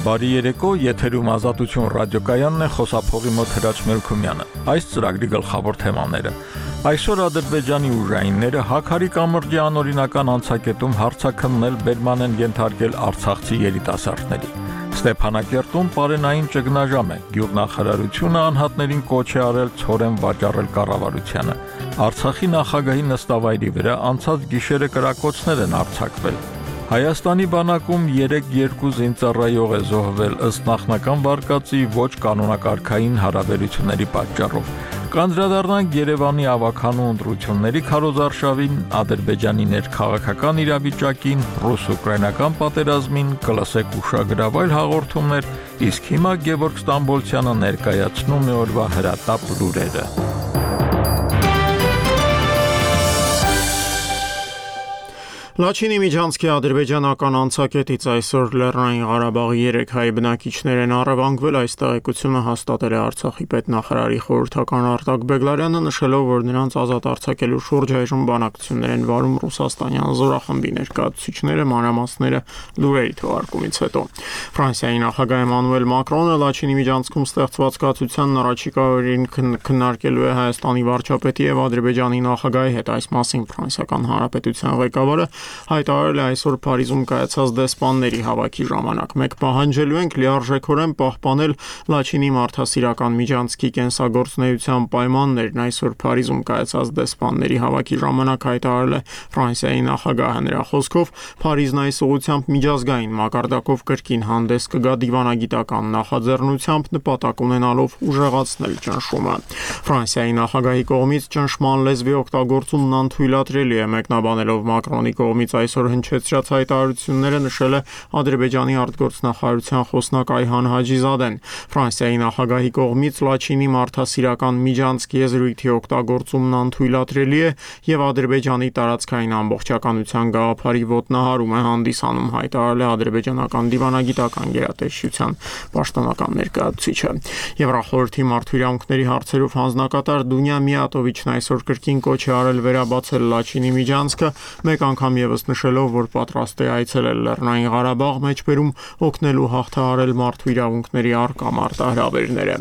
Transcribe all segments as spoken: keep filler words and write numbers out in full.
Բարի երեկո, եթերում Ազատություն ռադիոկայանն է, խոսափողի մոտ Հրաչ Մելքումյանը։ Այս ծրագրի գլխավոր թեմաները։ Այսօր Ադրբեջանի ուժայինները Հաքարի կամրջի անօրինական անցակետում հարձակումներ բերման են ենթարկել արցախցի երիտասարդների։ Ստեփանակերտում պարենային ճգնաժամ է, գյուղնախարարությունը անհատներին կոչ է արել ցորեն վաճառել կառավարությանը։ Արցախի նախագահի նստավայրի վրա անցած գիշերը կրակոցներ են արձակվել։ Հայաստանի բանակում երեք երկու զինծառայող է զոհվել ըստ նախնական վարկածի ոչ կանոնակարգային հարաբերությունների պատճառով։ Կանդրադառնանք Երևանի ավագանու ընտրությունների քարոզարշավին, Ադրբեջանի ներքաղաքական իրավիճակին, ռուս-ուկրաինական պատերազմին, կլսեք ուշագրավայր հաղորդումներ, իսկ հիմա Գևորգ Ստամբոլցյանը ներկայացնում է օրվա հրատապ լուրերը։ Լաչինի Միջանցքի ադրբեջանական անցակետից այսօր Լեռնային Ղարաբաղի երեք հայ բնակիչներ են առևանգվել, այս տեղեկությունը հաստատել է Արցախի պետնախարարի խորհրդական Արտակ Բեգլարյանը, նշելով, որ նրանց ազատ արձակելու շուրջ այժմ բանակցություններ են վարում ռուսաստանյան զորախմբի ներկայացուցիչները, մանրամասները լուրերի թողարկումից հետո։ Ֆրանսիայի նախագահ Էմանուել Մակրոնը Լաչինի Միջանցքում ստեղծված կացությանն առաջիկա օրերին քննարկելու է Հայաստանի վարչապետի եւ Ադրբեջանի նախագահի հետ, այս մասին Ֆրանսիական Հանրապետության ղեկավարը հայտարարել է այսօր Փարիզում կայացած դեսպանների հավաքի ժամանակ։ Մենք պահանջելու ենք լիարժեքորեն պահպանել Լաչինի մարդասիրական միջանցքի կենսագործունեության պայմաններն, այսօր Փարիզում կայացած դեսպանների հավաքի ժամանակ հայտարարել է Ֆրանսիայի նախագահը։ Նրա խոսքով Փարիզն այս ուղղությամբ միջազգային մակարդակով կրկին հանդես կգա դիվանագիտական նախաձեռնությամբ, նպատակ ունենալով ուժեղացնել ճնշումը։ Ֆրանսիայի նախագահի կողմից ճնշման լեզվի օգտագործումն անթույլատրելի է, մեկնաբանելով Մակրոնի կողմից այսօր հնչեցրած հայտարարությունները նշել է Ադրբեջանի արտգործնախարարության խոսնակ Այհան Հաջիզադեն։ Ֆրանսիայի նախագահի կողմից Լաչինի մարդասիրական միջանցքի եզրույթի օգտագործումն անթույլատրելի է եւ Ադրբեջանի տարածքային ամբողջականության գաղափարի ոտնահարում է հանդիսանում, հայտարարել է ադրբեջանական դիվանագիտական գերատեսչության պաշտոնական ներկայացուցիչը։ Եվրախորհրդի մարդու իրավունքների հարցերով հանձնակատար Դունյա Միատովիչն այսօր կրկին կոչ է արել վերաբացել Լաչինի միջանցքը, մեկ անգամ եւս նշելով, որ պատրաստ է այցելել Լեռնային Ղարաբաղ մեջբերում օգնելու հաղթահարել մարդու իրավունքների առկա մարտահրավերները։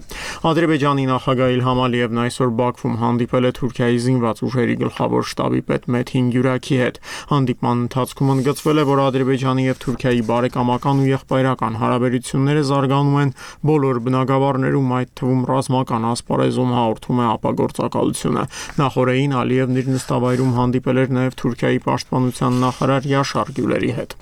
Ադրբեջանի նախագահ Իլհամ Ալիևն այսօր Բաքվում հանդիպել է Թուրքիայի զինված ուժերի գլխավոր շտաբի պետ Մեթին Գյուրակի հետ։ Հանդիպման ընթացքում ընդգծվել է, որ Ադրբեջանի եւ Թուրքիայի բարեկամական ու եղբայրական հարաբերությունները զարգանում են բոլոր բնագավառներում, այդ թվում ռազմական ասպարեզում, հաղորդում է ապագործակալությունը։ Նախորդին Ալիևն իր նստավայրում հանդիպել էր նաեւ Թուրքիայի պաշտպանության նախարար Յաշար Գյուլերի հետ։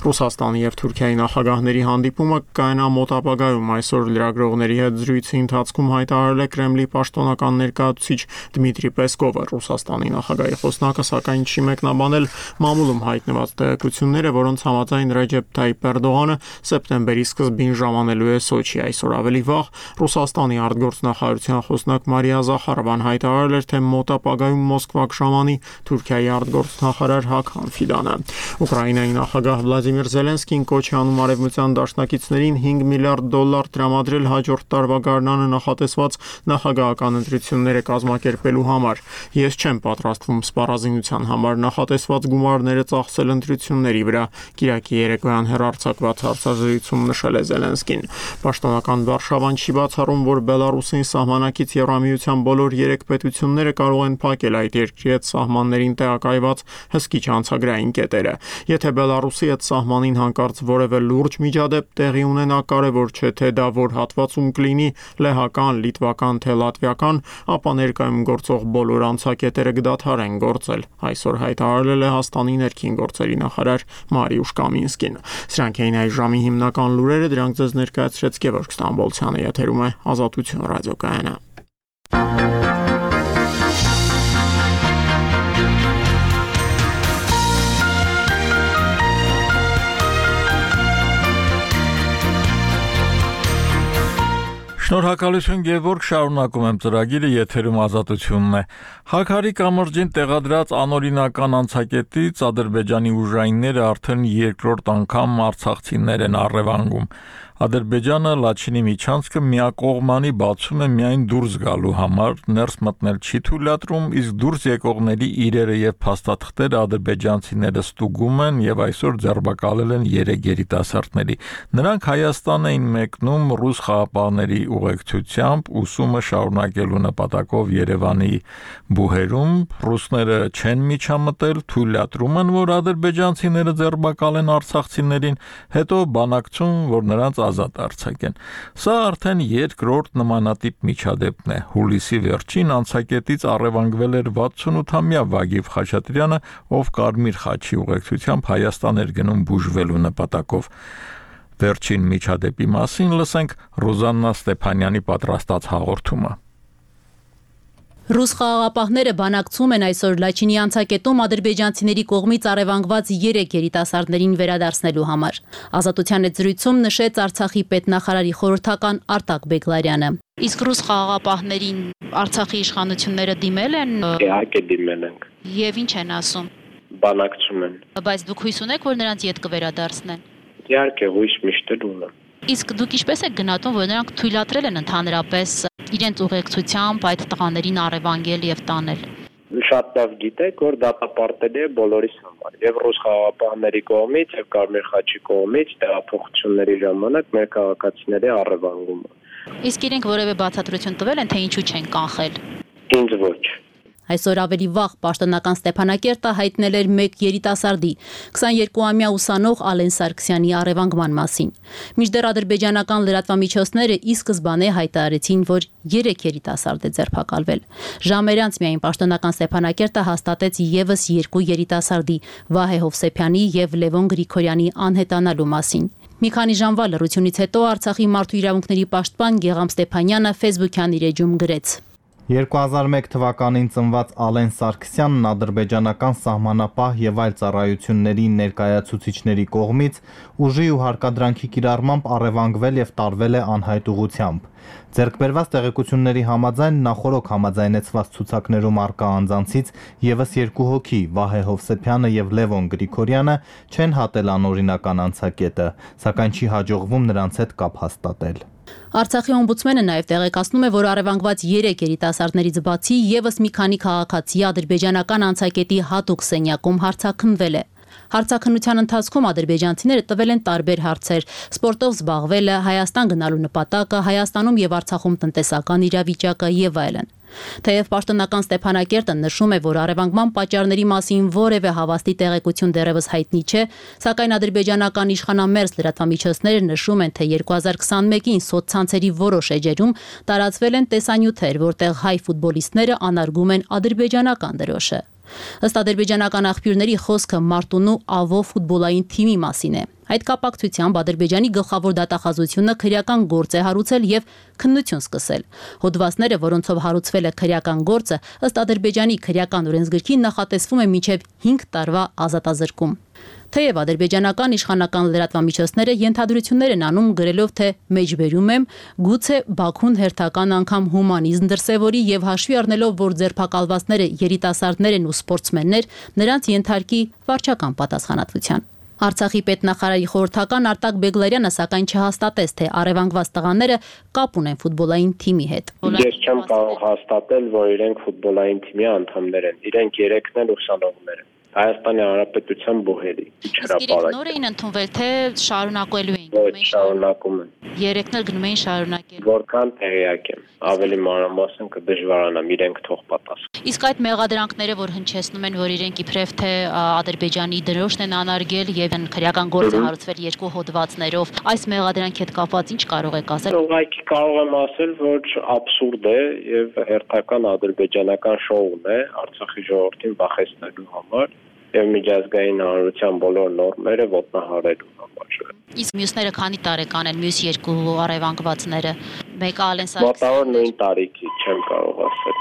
Ռուսաստանի եւ Թուրքիայի նախագահների հանդիպումը կայանա մոտ ապագայում, այսօր լրագրողների հետ զրույցի ընթացքում հայտարարել է Կրեմլի պաշտոնական ներկայացուցիչ Դմիտրի Պեսկովը։ Ռուսաստանի նախագահի խոսնակը սակայն չի մեկնաբանել մամուլում հայտնված տեղեկությունները, որոնց համաձայն Ռեջեփ Թայիփ Էրդողանը սեպտեմբերի սկզբին ժամանելու է Սոչի։ Այսօր ավելի վաղ Ռուսաստանի արտգործնախարարության խոսնակ Մարիա Զախարովան հայտարարել էր, թե մոտ ապագայում Մոսկվա կժամանի Թուրքիայի արտգործնախարար Հաքան Ֆիդանը։ Ուկրաինայի նախագահ Վլադիմիր Զելենսկին կոչ է անում արևմտյան դաշնակիցներին հինգ միլիարդ դոլար տրամադրել հաջորդ տարվա գարնանը նախատեսված նախագահական ընտրությունները կազմակերպելու համար։ Ես չեմ պատրաստվում սպառազինության համար նախատեսված գումարները ծախսել ընտրությունների վրա, կիրակի երեկոյան հեռարձակված հարցազրույցում նշել է Զելենսկին։ Պաշտոնական Վարշավան չի բացառում, որ Բելարուսին սահմանակից Եվրամիության բոլոր երեք պետությունները կարող են փակել այդ երկրի հետ սահմաններին տեղակայված հսկիչ անցագրային կետերը։ Եթե Բելարուսի հետ սահմանին հանկարծ որևէ լուրջ միջադեպ տեղի ունենա, կարևոր չէ թե դա որ հատվածում կլինի լեհական, լիտվական, թե լատվիական, ապա ներկայում գործող բոլոր անցակետերը կդադարեն գործել, այսօր հայտարարել է Լեհաստանի ներքին գործերի նախարար Մարիուշ Կամինսկին։ Սրանք էին այս ժամի հիմնական լուրերը, դրանք ձեզ ներկայացրեց Գևորգ Ստամբոլցյանը, եթերում է Ազատություն ռադիոկայանը։ Շնորհակալություն Գևորգ, շարունակում եմ ծրագիրը, եթերում Ազատությունն է։ Հաքարի կամրջին տեղադրած անօրինական անցակետից Ադրբեջանի ուժայինները արդեն երկրորդ անգամ արցախցիներ են առևանգում։ Ադրբեջանը Լաչինի միջանցքը միակողմանի բացում է միայն դուրս գալու համար, ներս մտնել չի թույլատրում, իսկ դուրս եկողների իրերը եւ փաստաթղթերը ադրբեջանցիները ստուգում են եւ այսօր ձերբակալել են երեք երիտասարդների։ Նրանք Հայաստան էին մեկնում ռուս խաղապահների ուղեկցությամբ ուսումը շարունակելու նպատակով Երևանի բուհերում։ Ռուսները չեն միջամտել, թույլատրում են, որ ադրբեջանցիները ձերբակալեն արցախցիներին, հետո բանակցում, որ նրանց ազատ արձակեն։ Սա արդեն երկրորդ նմանատիպ միջադեպն է։ Հուլիսի վերջին անցակետից առևանգվել էր վաթսունութամյա Վագիվ Խաչատրյանը, ով Կարմիր խաչի ուղեկցությամբ Հայաստան էր գնում բուժվելու նպատակով։ Վերջին միջադեպի մասին լսենք Ռոզաննա Ստեփանյանի պատրաստած հաղորդումը։ Ռուս խաղաղապահները բանակցում են այսօր Լաչինի անցակետում ադրբեջանցիների կողմից առևանգված երեք երիտասարդներին վերադարձնելու համար։ Ազատության հետ զրույցում նշեց Արցախի պետնախարարի խորհրդական Արտակ Բեգլարյանը։ Իսկ ռուս խաղաղապահներին Արցախի իշխանությունները դիմել են։ Իհարկե դիմել են։ Եվ ինչ են ասում։ Բանակցում են։ Բայց դուք հույս ունեք, որ նրանց ետ կվերադարձնեն։ Իհարկե հույս միշտ ունեմ։ Իսկ դուք ինչպես եք գնահատում, որ նրանք թույլատրել են ընդհանրապես իրենց ուղեկցությամբ այդ տղաներին առևանգել եւ տանել։ Շատ լավ գիտեք, որ դատապարտելի է բոլորիս համար, եւ ռուս խաղաղապահների կողմից, եւ Կարմիր խաչի կողմից տեղափոխությունների ժամանակ մեր քաղաքացիների առևանգումը։ Իսկ իրենք որևէ բացատրություն տվել են, թե ինչու չեն կանխել։ Ինձ ոչ։ Այսօր ավելի վաղ պաշտոնական Ստեփանակերտը հայտնել էր մեկ երիտասարդի քսաներկուամյա ուսանող Ալեն Սարգսյանի առևանգման մասին։ Մինչդեռ ադրբեջանական լրատվամիջոցները ի սկզբանե հայտարարեցին, որ երեք երիտասարդ է ձերբակալվել։ Ժամեր անց միայն պաշտոնական Ստեփանակերտը հաստատեց եւս երկու երիտասարդի՝ Վահե Հովսեփյանի եւ Լևոն Գրիգորյանի անհետանալու մասին։ Մի քանի ժամվա լռությունից հետո Արցախի մարդու իրավունքների պաշտպան Գեգամ Ստեփանյանը Facebook-յան իր էջում գրեց. երկու հազար մեկ թվականին ծնված Ալեն Սարգսյանն ադրբեջանական սահմանապահ եւ այլ ծառայությունների ներկայացուցիչների կողմից ուժի ու հարկադրանքի կիրառմամբ առևանգվել եւ տարվել է անհայտ ուղղությամբ։ Ձեռքբերված տեղեկությունների համաձայն նախորոք համաձայնեցված ցուցակներում առկա անձանցից եւս երկու հոգի՝ Վահե Հովսեփյանը եւ Լևոն Գրիգորյանը չեն հատել անօրինական անցակետը, սակայն չի հաջողվում նրանց հետ կապ հաստատել։ Արցախի օմբուդսմենը նաև տեղեկացնում է, որ առևանգված երեք երիտասարդներից բացի եւս մի քանի քաղաքացի ադրբեջանական անցակետի հատուկ սենյակում հարցաքննվել է։ Հարցաքննության ընթացքում ադրբեջանցիները տվել են տարբեր հարցեր՝ սպորտով զբաղվելը, Հայաստան գնալու նպատակը, Հայաստանում եւ Արցախում տնտեսական իրավիճակը եւ այլն։ Թեև պաշտոնական Ստեփանակերտը նշում է, որ առևանգման պատճառների մասին որևէ հավաստի տեղեկություն դեռևս հայտնի չէ, սակայն ադրբեջանական իշխանամերձ լրատվամիջոցները նշում են, թե երկու հազար քսաներկուին սոցցանցերի որոշ էջերում տարածվել են տեսանյութեր, որտեղ հայ ֆուտբոլիստները անարգում են ադրբեջանական դրոշը։ Ըստ ադրբեջանական աղբյուրների խոսքը Մարտունու Ավո ֆուտբոլային թիմի մասին է։ Այդ կապակցությամբ Ադրբեջանի գլխավոր դատախազությունը քրեական գործ է հարուցել եւ քննություն սկսել։ Հոդվածները, որոնցով հարուցվել է քրեական գործը, ըստ Ադրբեջանի քրեական օրենսգրքի նախատեսվում է մինչեւ հինգ տարվա ազատազրկում։ Թեև ադրբեջանական իշխանական լրատվամիջոցները ենթադրություններ են անում գրելով, թե մեջբերում եմ, գուցե Բաքուն հերթական անգամ հումանիզմ դրսևորի եւ հաշվի առնելով, որ ձերբակալվածները երիտասարդներ են ու սպորտսմեններ, նրանց ենթարկի վարչական պատասխանատվության։ Արցախի պետնախարարի խորհրդական Արտակ Բեգլարյանը սակայն չհաստատեց, թե առևանգված տղաները կապ ունեն ֆուտբոլային թիմի հետ։ Ես չեմ կարող հաստատել, որ իրենք ֆուտբոլային թիմի անդամներ են։ Իրենք երեքն են ուսանողներ են։ Հայաստանի Հանրապետության բուհերի հրապարակ։ Նոր էին ընդունվել, թե շարունակելու էին։ Ոչ, շարունակում են։ Երեքն էլ գնում էին շարունակել։ Որքան տեղյակ եմ, ավելի մանրամասն կդժվարանամ, իրենք թող պատասխան։ Իսկ այդ մեղադրանքները, որ հնչեցնում են, որ իրենք իբրև թե Ադրբեջանի դրոշն են անարգել եւ քրեական գործ է հարուցվել երկու հոդվածներով, այս մեղադրանքի հետ կապված ինչ կարող եք ասել։ Ուղղակի կարող եմ ասել, որ абսուրդ է եւ հերթական ադրբեջանական շոուն է Արցախի ժողովրդին վախեցնելու համար եւ միջազգային հանրության բոլոր նորմերը ոտնահարելու համար։ Իսկ մյուսները քանի տարեկան են, մյուս երկու առևանգվածները։ Մեկը Ալեն Սարգսյանը։ Մոտավոր նույն տարիքի, չեմ կարող ասել։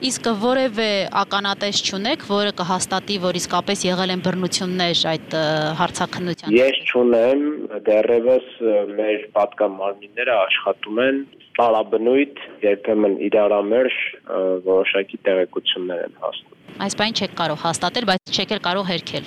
Իսկ որևէ ականատես չունեք, որը կհաստատի, որ իսկապես եղել են բռնություններ այդ հարցաքննության։ Ես չունեմ, դեռևս մեր պատգամարմինները աշխատում են տարաբնույթ, երբեմն իրարամերժ որոշակի տեղեկություններ են հասնում։ Այս բան չեք կարող հաստատել, բայց չեք էլ կարող հերքել։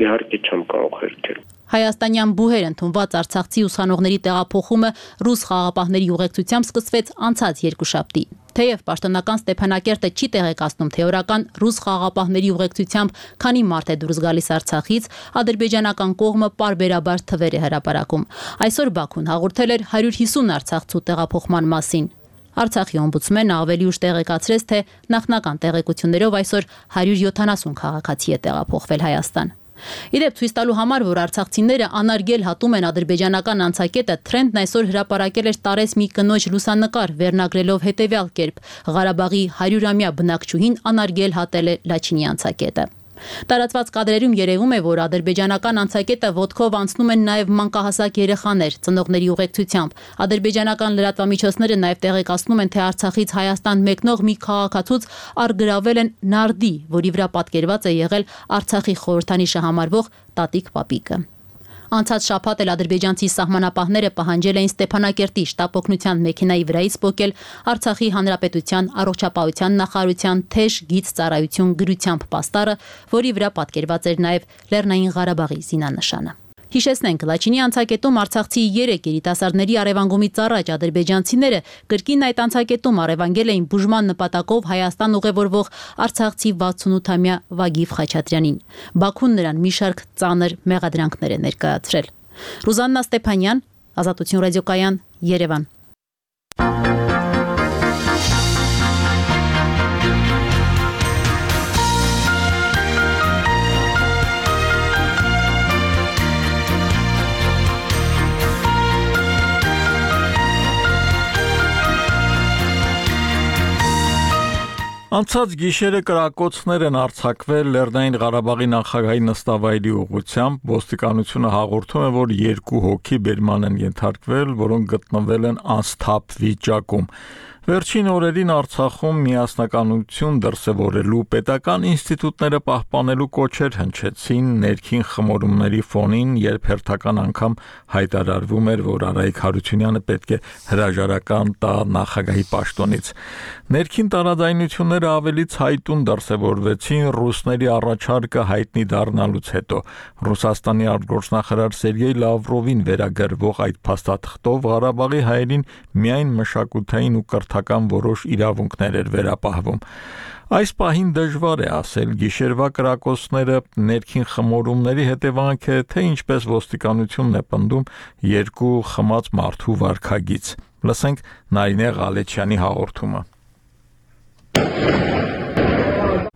իհարկե չեմ կարող հերքել։ Հայաստանյան բուհեր ընդունված արցախցի ուսանողների տեղափոխումը ռուս խաղաղապահների ուղեկցությամբ սկսվեց անցած երկուշաբթի։ Թեև պաշտոնական Ստեփանակերտը չի տեղեկացնում թե օրական ռուս խաղաղապահների ուղեկցությամբ քանի մարդ է դուրս գալիս Արցախից, ադրբեջանական կողմը պարբերաբար թվեր է հրապարակում։ Այսօր Բաքուն հաղորդել էր հարյուր հիսուն արցախցու տեղափոխման մասին։ Արցախի օմբուդսմենը ավելի ուշ տեղեկացրեց, թե նախնական տեղեկություններով այսօր հարյուր յոթանասուն քաղաքացի է տեղափոխվել Հայաստան։ Իդեպ ցույց տալու համար, որ արցախցիները անարգել հատում են ադրբեջանական անցակետը, Թրենդն այսօր հրապարակել էր տարեց մի կնոջ լուսանկար, վերնագրելով հետևյալ կերպ. Ղարաբաղի հարյուրամյա բնակչուհին անարգել հատել է Լաչինի անցակետը։ Տարածված կադրերում երևում է, որ ադրբեջանական անցակետը ոտքով անցնում են նաև մանկահասակ երեխաներ, ծնողների ուղեկցությամբ։ Ադրբեջանական լրատվամիջոցները նաև տեղեկացնում են, թե Արցախից Հայաստան մեկնող մի քաղաքացուց առգրավել են նարդի, որի վրա պատկերված է եղել Արցախի խորհրդանիշը համարվող տատիկ պապիկը։ Անցած շաբաթ էլ ադրբեջանցի սահմանապահները պահանջել էին Ստեփանակերտի շտապ օգնության մեքենայի վրայից պոկել Արցախի հանրապետության առողջապահության նախարարության թեժ գիծ ծառայություն գրությամբ պաստառը, որի վրա պատկերված էր նաև Լեռնային Ղարաբաղի զինանշանը։ Հիշեցնենք, Լաչինի անցակետում արցախցի երեք երիտասարդների առևանգումից առաջ ադրբեջանցիները կրկին այդ անցակետում առևանգել էին բուժման նպատակով Հայաստան ուղևորվող արցախցի վաթսունութամյա Վագիվ Խաչատրյանին։ Բաքուն նրան մի շարք ծանր մեղադրանքներ է ներկայացրել։ Ռուզաննա Ստեփանյան, Ազատություն ռադիոկայան, Երևան։ Անցած գիշերը կրակոցներ են արձակվել Լեռնային Ղարաբաղի նախագահի նստավայրի ուղղությամբ, ոստիկանությունը հաղորդում է, որ երկու հոգի բերման են ենթարկվել, որոնք գտնվել են անսթափ վիճակում։ Վերջին օրերին Արցախում միասնականություն դրսևորելու պետական ինստիտուտները պահպանելու կոչեր հնչեցին ներքին խմորումների ֆոնին, երբ հերթական անգամ հայտարարվում էր, որ Արայիկ Հարությունյանը պետք է հրաժարական տա նախագահի պաշտոնից։ Ներքին տարաձայնությունները ավելի ցայտուն դրսևորվեցին ռուսների առաջարկը հայտնի դառնալուց հետո։ Ռուսաստանի արտգործնախարար Սերգեյ Լավրովին վերագրվող այդ փաստաթղթով Ղարաբաղի հայերին միայն մշակութային ու կրթական որոշ իրավունքներ էր վերապահվում։ Այս պահին դժվար է ասել գիշերվա կրակոցները ներքին խմորումների հետևանք է, թե ինչպես ոստիկանությունն է պնդում երկու խմած մարդու վարքագիծ։ Լսենք Նարինե Ղալեչյանի հաղորդումը։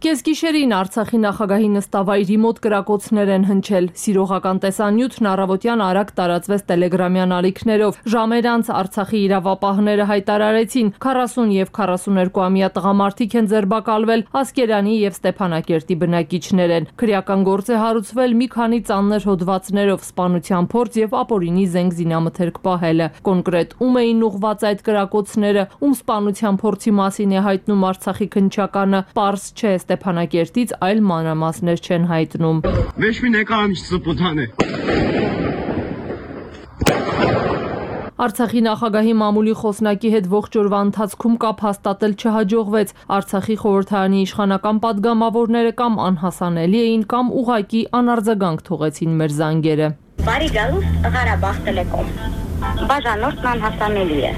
Կեսգիշերին Արցախի նախագահի նստավայրի մոտ կրակոցներ են հնչել։ Սիրողական տեսանյութն առավոտյան արագ տարածվեց տելեգրամյան ալիքներով։ Ժամեր անց Արցախի իրավապահները հայտարարեցին, քառասուն եւ քառասուներկուամյա տղամարդիկ են ձերբակալվել, Ասկերանի եւ Ստեփանակերտի բնակիչներ են։ Քրեական գործ է հարուցվել մի քանի ծանր հոդվածներով, սպանության փորձ եւ ապօրինի զենք զինամթերք պահելը։ Կոնկրետ ում էին ուղղված այդ կրակոցները, ում սպանության փորձի մասին է հայտնում Արցախի քննչականը, պարզ չէ։ Ստեփանակերտից այլ մանրամասներ չեն հայտնում։ Ոչ մի նկարիչ սպուտան է։ Արցախի նախագահի մամուլի խոսնակի հետ ողջ օրվա ընթացքում կապ հաստատել չհաջողվեց։ Արցախի խորհրդարանի իշխանական падգամավորները կամ անհասանելի էին, կամ ուղղակի անարձագանք թողեցին մեր զանգերը։ Բարի գալուստ Ղարաբաղ Տելեկոմ։ Բաժանորդն անհասանելի է։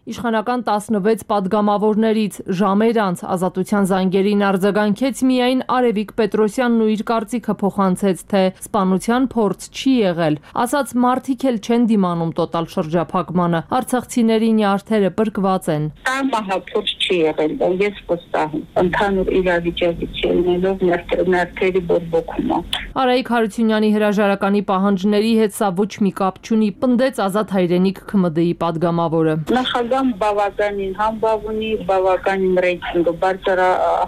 Իշխանական տասնվեց падգամավորներից ժամեր անց Ազատության զանգերին արձագանքեց միայն Արևիկ Պետրոսյանն ու իր կարծիքը փոխանցեց, թե սպանության փորձ չի եղել։ Ասաց մարդիկ էլ չեն դիմանում տոտալ շրջափակմանը, արցախցիների նյարդերը պրկված են։ Մահափորձ չի եղել, ես վստահ եմ։ Ընդհանուր իրավիճակից ելնելով նյարդերի բորբոքումը։ Արայիկ Հարությունյանի հրաժարականի պահանջների հետ սա ոչ մի կապ չունի, պնդեց Ազատ հայրենիք ՔՄԴ-ի падգամավորը։ Նախագահ բավականին համբավ ունի, բավականին ռեյտինգը բարձր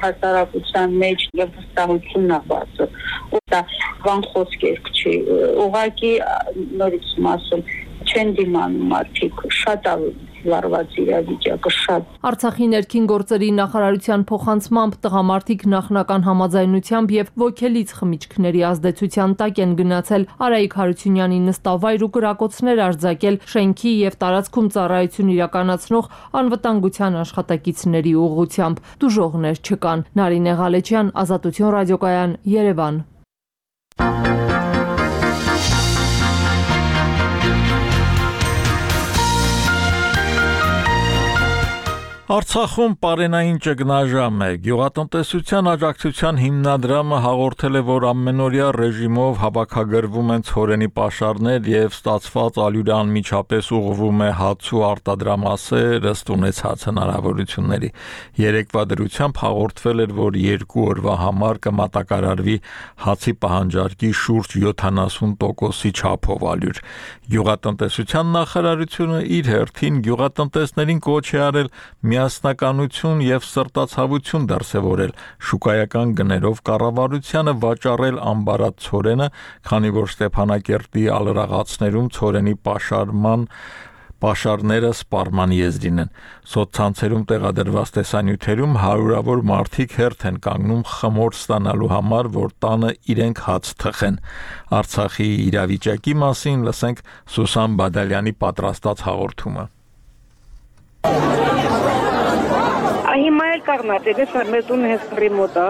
հասարակության մեջ եւ վստահությունն է բարձր։ Դա բան խոսքեր չի։ Ուղղակի նորից ասում չեն դիմանում մարդիկ, շատ վարված իրավիճակը շատ։ Արցախի ներքին գործերի նախարարության փոխանցմամբ տղամարդիկ նախնական համաձայնությամբ եւ ոգելից խմիչքների ազդեցության տակ են գնացել Արայիկ Հարությունյանի նստավայր ու կրակոցներ արձակել շենքի եւ տարածքում ծառայություն իրականացնող անվտանգության աշխատակիցների ուղղությամբ։ Դժողներ չկան։ Նարինե Ղալեչյան, Ազատություն ռադիոկայան, Երևան։ Արցախում պարենային ճգնաժամ է։ Գյուղատնտեսության աջակցության հիմնադրամը հաղորդել է, որ ամենօրյա ռեժիմով հավաքագրվում են ցորենի պաշարներ եւ ստացված ալյուրը անմիջապես ուղղվում է հաց ու արտադրամասեր ըստ ունեցած հնարավորությունների։ Երեկվա դրությամբ հաղորդվել էր, որ երկու օրվա համար կմատակարարվի հացի պահանջարկի շուրջ յոթանասուն տոկոսի չափով ալյուր։ Գյուղատնտեսության նախարարությունը իր հերթին գյուղատնտեսներին կոչ է արել միասնականություն եւ սրտացավություն դրսեւորել շուկայական գներով կառավարությանը վաճառել ամբարած ցորենը, քանի որ Ստեփանակերտի ալրաղացներում ցորենի պաշարման պաշարները սպառման եզրին են։ Սոցցանցերում տեղադրված տեսանյութերում հարյուրավոր մարդիկ հերթ են կանգնում խմոր ստանալու համար, որ տանը իրենք հաց թխեն։ Արցախի իրավիճակի մասին լսենք Սուսան Բադալյանի պատրաստած հաղորդումը։ Հիմա էլ կաղնած է, մեր տունը հենց կռի մոտ է։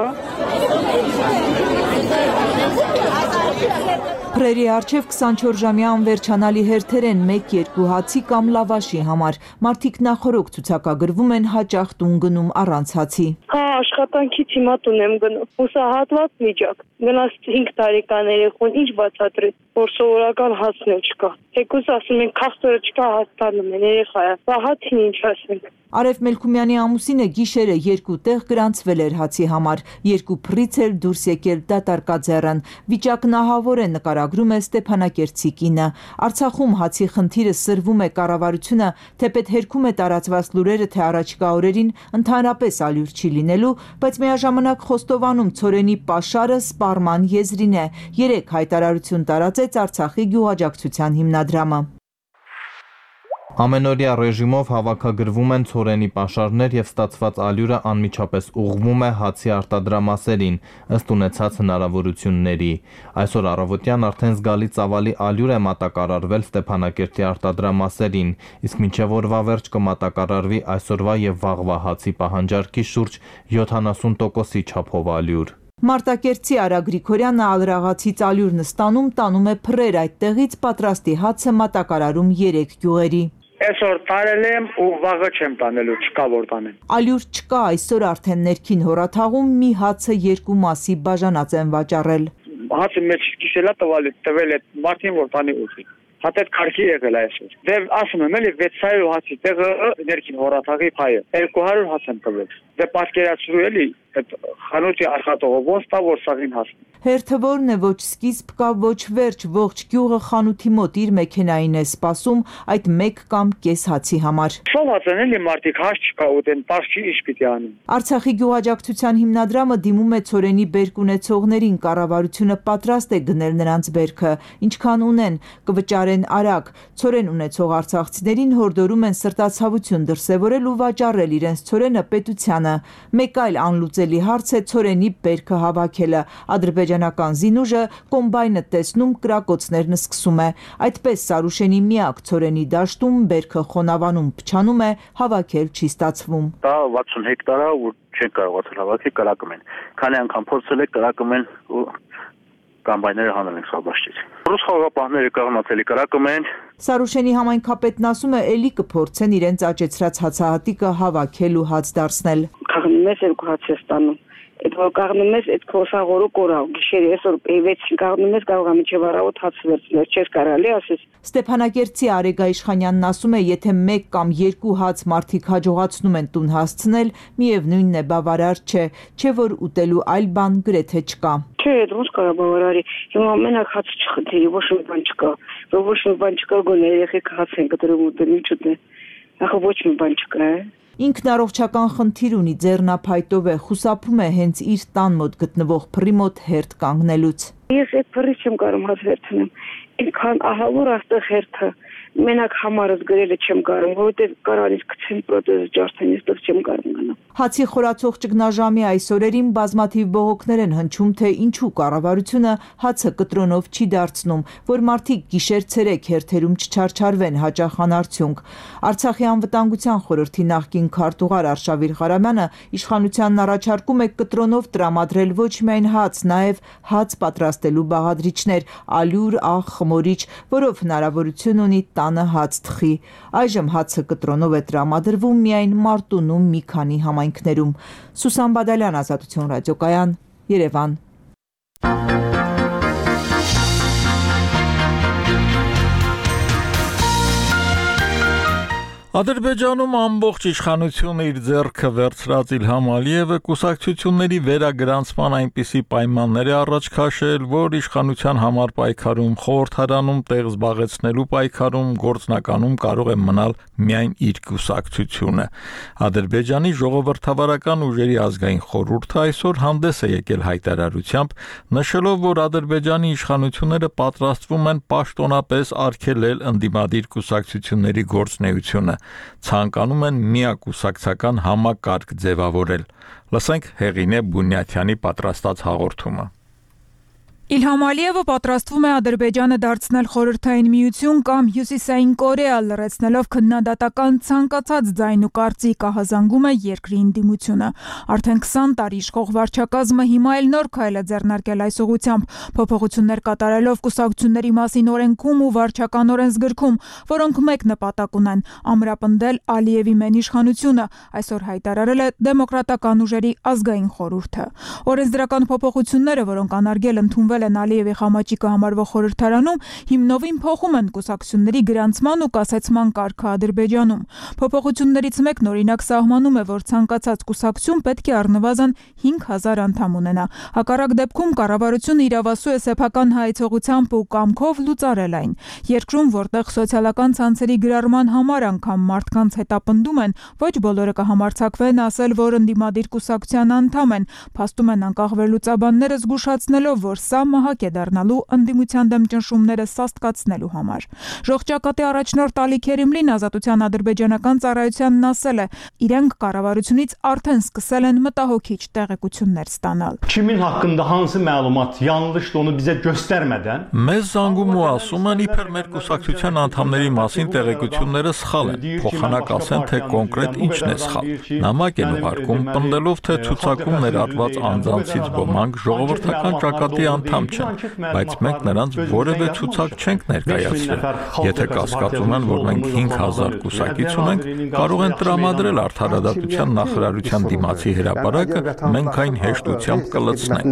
Փրերի առջև քսանչորս-ժամյա անվերջանալի հերթեր են մեկ-երկու հացի կամ լավաշի համար։ Մարդիկ նախօրոք ցուցակագրվում են հաճախ տուն գնում առանց հացի։ Հա, աշխատանքից հիմա տուն եմ գնում։ Հուսահատված միջակ։ Գնաց հինգ տարեկան երեխուն ինչ բացատրի, որ սովորական հացն էլ չկա։ Թեկուզ ասում են քաղցրը չկա, հաց տանում են երեխայա։ Բա հացին ինչ ասենք։ Արև Մելքումյանի ամուսինը գիշերը երկու տեղ գրանցվել էր հացի համար, երկու փռից էլ դուրս եկել դատարկաձեռն։ Վիճակն ահավոր է, նկարագրում է Ստեփանակերտցի կինը։ Արցախում հացի խնդիրը սրվում է, կառավարությունը թեպետ հերքում է տարածված լուրերը, թե առաջիկա օրերին ընդհանրապես ալյուր չի լինելու, բայց միաժամանակ խոստովանում ցորենի պաշարը սպառման եզրին է։ Երեք հայտարարություն տարածեց Արցախի գյուղաաջակցության հիմնադրամը։ Ամենօրյա ռեժիմով հավաքագրվում են ցորենի պաշարներ եւ ստացված ալյուրը անմիջապես ուղղվում է հացի արտադրամասերին, ըստ ունեցած հնարավորությունների։ Այսօր առավոտյան արդեն զգալի ծավալի ալյուր է մատակարարվել Ստեփանակերտի արտադրամասերին, իսկ մինչև օրվա վերջ կմատակարարվի այսօրվա եւ վաղվա հացի պահանջարկի շուրջ յոթանասուն տոկոսի չափով ալյուր։ Մարտակերտցի Արա Գրիգորյանը ալրաղացից ալյուրն ստանում, տանում է փռեր, այդտեղից պատրաստի հացը մատակարարում երեք գյուղերի։ Այսօր տարել եմ ու վաղը չեմ տանելու, չկա որ տանեմ։ Ալյուր չկա, այսօր արդեն ներքին հորաթաղում մի հացը երկու մասի բաժանած են վաճառել։ Հացը մեջ գիշելա տվել տվել է մարդին որ տանի ուղի։ Հատետ քարքի եղել այսօր։ Դե ասում եմ էլի վեց սայո հացի տեղը ներքին հորաթաղի փայը երկու հարյուր հաց եմ տվել։ Դե պատկերացրու էլի այդ խանութի աշխատողը ոնց տա որ սաղին հասնի։ Հերթը որն է, ոչ սկիզբ կա, ոչ վերջ, ողջ գյուղը խանութի մոտ իր մեքենային է սպասում այդ մեկ կամ կես հացի համար։ Շոված են էլի մարդիկ հաց չկա ուտեն, պարզ չի ինչ պիտի անեն։ Արցախի գյուղաաջակցության հիմնադրամը դիմում է ցորենի բերք ունեցողներին, կառավարությունը պատրաստ է գնել նրանց բերքը, ինչքան ունեն, կվճարեն արագ։ Ցորեն ունեցող արցախցիներին հորդորում են սրտացավություն դրսևորել ու վաճառել իրենց ցորենը պետությանը։ Մեկ այլ անլուծելի հարց է ցորենի բերքը հավաքելը։ Ադրբեջանական զինուժը կոմբայնը տեսնում, կրակոցներն սկսում է։ Այդպես Սարուշենի միակ ցորենի դաշտում բերքը խոնավանում, փչանում է, հավաքել չի ստացվում։ Դա վաթսուն հեկտար է ու չեն կարողացել հավաքել, կրակում են։ Քանի անգամ փորձել եք, կրակում են ու կամբայները հանել են սաբաշտից։ Ռուս խաղապահները կաղնացելի կրակում են։ Սարուշենի համայնքապետն ասում է, էլի կփորձեն իրենց աճեցրած հացահատիկը հավաքել ու հաց դարձնել։ Կաղնում ես երկու հաց ես տանում։ Այդ որ կաղնում ես, այդ քոսաղորը կորավ։ Գիշերը այսօր վեցին կաղնում ես, կարող է միջև առավոտ հաց վերցնել, չես կարելի ասես։ Ստեփանակերտցի Արեգա Իշխանյանն ասում է, եթե մեկ կամ երկու հաց մարդիկ հաջողացնում են տուն հասցնել, միևնույնն է բավարար չէ, չէ որ ուտելու այլ բան գրեթե չկա։ Չէ, ոնց կարա բավարարի։ Հիմա մենակ հաց չխնդրի, ոչ մի բան չկա։ Ոչ մի բան չկա, գոնե երեխեք հաց են կտրում ուտել, ինչ ուտեն։ Ախը ոչ մի բան չկա, է։ Ինքն առողջական խնդիր ունի, ձեռնափայտով է, խուսափում է հենց իր տան մոտ գտնվող փռի մոտ հերթ կանգնելուց։ Ես այդ փռից չեմ կարող հաց վերցնեմ։ Ինքան ահավոր աստեղ հերթը։ մենակ համարս գրելը չեմ կարող, որովհետև կարանից գցեմ պրոթեզը ջարդեն, այստեղ չեմ կարող գնալ։ Հացի խորացող ճգնաժամի այս օրերին բազմաթիվ բողոքներ են հնչում, թե ինչու կառավարությունը հացը կտրոնով չի դարձնում, որ մարդիկ գիշեր-ցերեկ հերթերում չչարչարվեն հաճախ անարդյունք։ Արցախի անվտանգության խորհրդի նախկին քարտուղար Արշավիր Ղարամյանը իշխանությանն առաջարկում է կտրոնով տրամադրել ոչ միայն հաց, նաև հաց պատրաստելու բաղադրիչներ, ալյուր, աղ, խմորիչ, որով հնարավորություն ունի տանը հաց թխի։ Այժմ հացը կտրոնով է տրամադրվում միայն Մարտունում մի քանի համայնքներում։ Սուսան Բադալյան, Ազատություն ռադիոկայան, Երևան։ Ադրբեջանում ամբողջ իշխանությունը իր ձեռքը վերցրած Իլհամ Ալիևը կուսակցությունների վերագրանցման այնպիսի պայմաններ է առաջ քաշել, որ իշխանության համար պայքարում, խորհրդարանում տեղ զբաղեցնելու պայքարում գործնականում կարող է մնալ միայն իր կուսակցությունը։ Ադրբեջանի ժողովրդավարական ուժերի ազգային խորհուրդը այսօր հանդես է եկել հայտարարությամբ, նշելով, որ Ադրբեջանի իշխանությունները պատրաստվում են պաշտոնապես արգելել ընդդիմադիր կուսակցությունների գործունեությունը։ Ցանկանում են միակուսակցական համակարգ ձևավորել։ Լսենք Հեղինե Բունյաթյանի պատրաստած հաղորդումը։ Իլհամ Ալիևը պատրաստվում է Ադրբեջանը դարձնել խորհրդային միություն կամ Հյուսիսային Կորեա, լրացնելով քննադատական ցանկացած ձայն ու կարծիք, ահազանգում է երկրի ընդդիմությունը։ Արդեն քսան տարի իշխող վարչակազմը հիմա էլ նոր քայլ է ձեռնարկել այս ուղղությամբ, փոփոխություններ կատարելով կուսակցությունների մասին օրենքում ու վարչական օրենսգրքում, որոնք մեկ նպատակ ունեն՝ ամրապնդել Ալիևի մեն իշխանությունը, այսօր հայտարարել է դեմոկրատական ուժերի ազգային խորհուրդը։ Օրենսդրական փոփոխությունները, որոնք անարգել ընդունվել են Ալիևի խամաճիկը համարվող խորհրդարանում, հիմնովին փոխում են կուսակցությունների գրանցման ու կասեցման կարգը Ադրբեջանում։ Փոփոխություններից մեկն օրինակ սահմանում է, որ ցանկացած կուսակցություն պետք է առնվազն հինգ հազար անդամ ունենա։ Հակառակ դեպքում կառավարությունը իրավասու է սեփական հայեցողությամբ ու կամքով լուծարել այն։ Երկրում, որտեղ սոցիալական ցանցերի գրառման համար անգամ մարդկանց հետապնդում են, ոչ բոլորը կհամարձակվեն ասել, որ ընդդիմադիր կուսակցության անդամ են, փաստում են անկախ վերլուծաբանները զգուշացնելով, որ սա մահակ է դառնալու ընդդիմության դեմ ճնշումները սաստկացնելու համար։ Ժողջակատի առաջնորդ Ալի Քերիմլին Ազատության ադրբեջանական ծառայությանն ասել է, իրենք կառավարությունից արդեն սկսել են մտահոգիչ տեղեկություններ ստանալ։ Kimin haqqında hansı məlumat yanlışdı onu bizə göstərmədən Մեզ զանգում ու ասում են, իբր մեր կուսակցության անդամների մասին տեղեկությունները սխալ են, փոխանակ ասեն, թե կոնկրետ ինչն է սխալ։ Նամակ են ուղարկում, պնդելով, թե ցուցակում ներառված անձանցից ոմանք ժողովրդական ճակատի անդամ չեն, բայց մենք նրանց որևէ ցուցակ չենք ներկայացրել։ Եթե կասկածում են, որ մենք հինգ հազար կուսակից ունենք, կարող են տրամադրել Արդարադատության նախարարության դիմացի հրապարակը, մենք այն հեշտությամբ կլցնենք։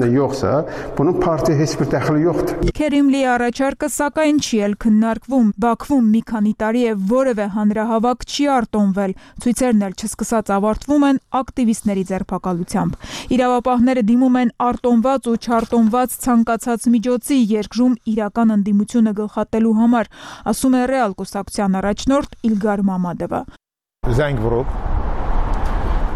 Քերիմլի առաջարկը սակայն չի էլ քննարկվում։ Բաքվում մի քանի տարի է որևէ հանրահավաք չի արտոնվել, ցույցերն էլ չսկսած ավարտվում են ակտիվիստների ձերբակալությամբ։ Իրավապահները դիմում են արտոնված ու չարտոնված ցանկացած միջոցի երկրում իրական ընդդիմությունը գլխատելու համար, ասում է Ռեալ կուսակցության առաջնորդ Իլգար Մամադովը։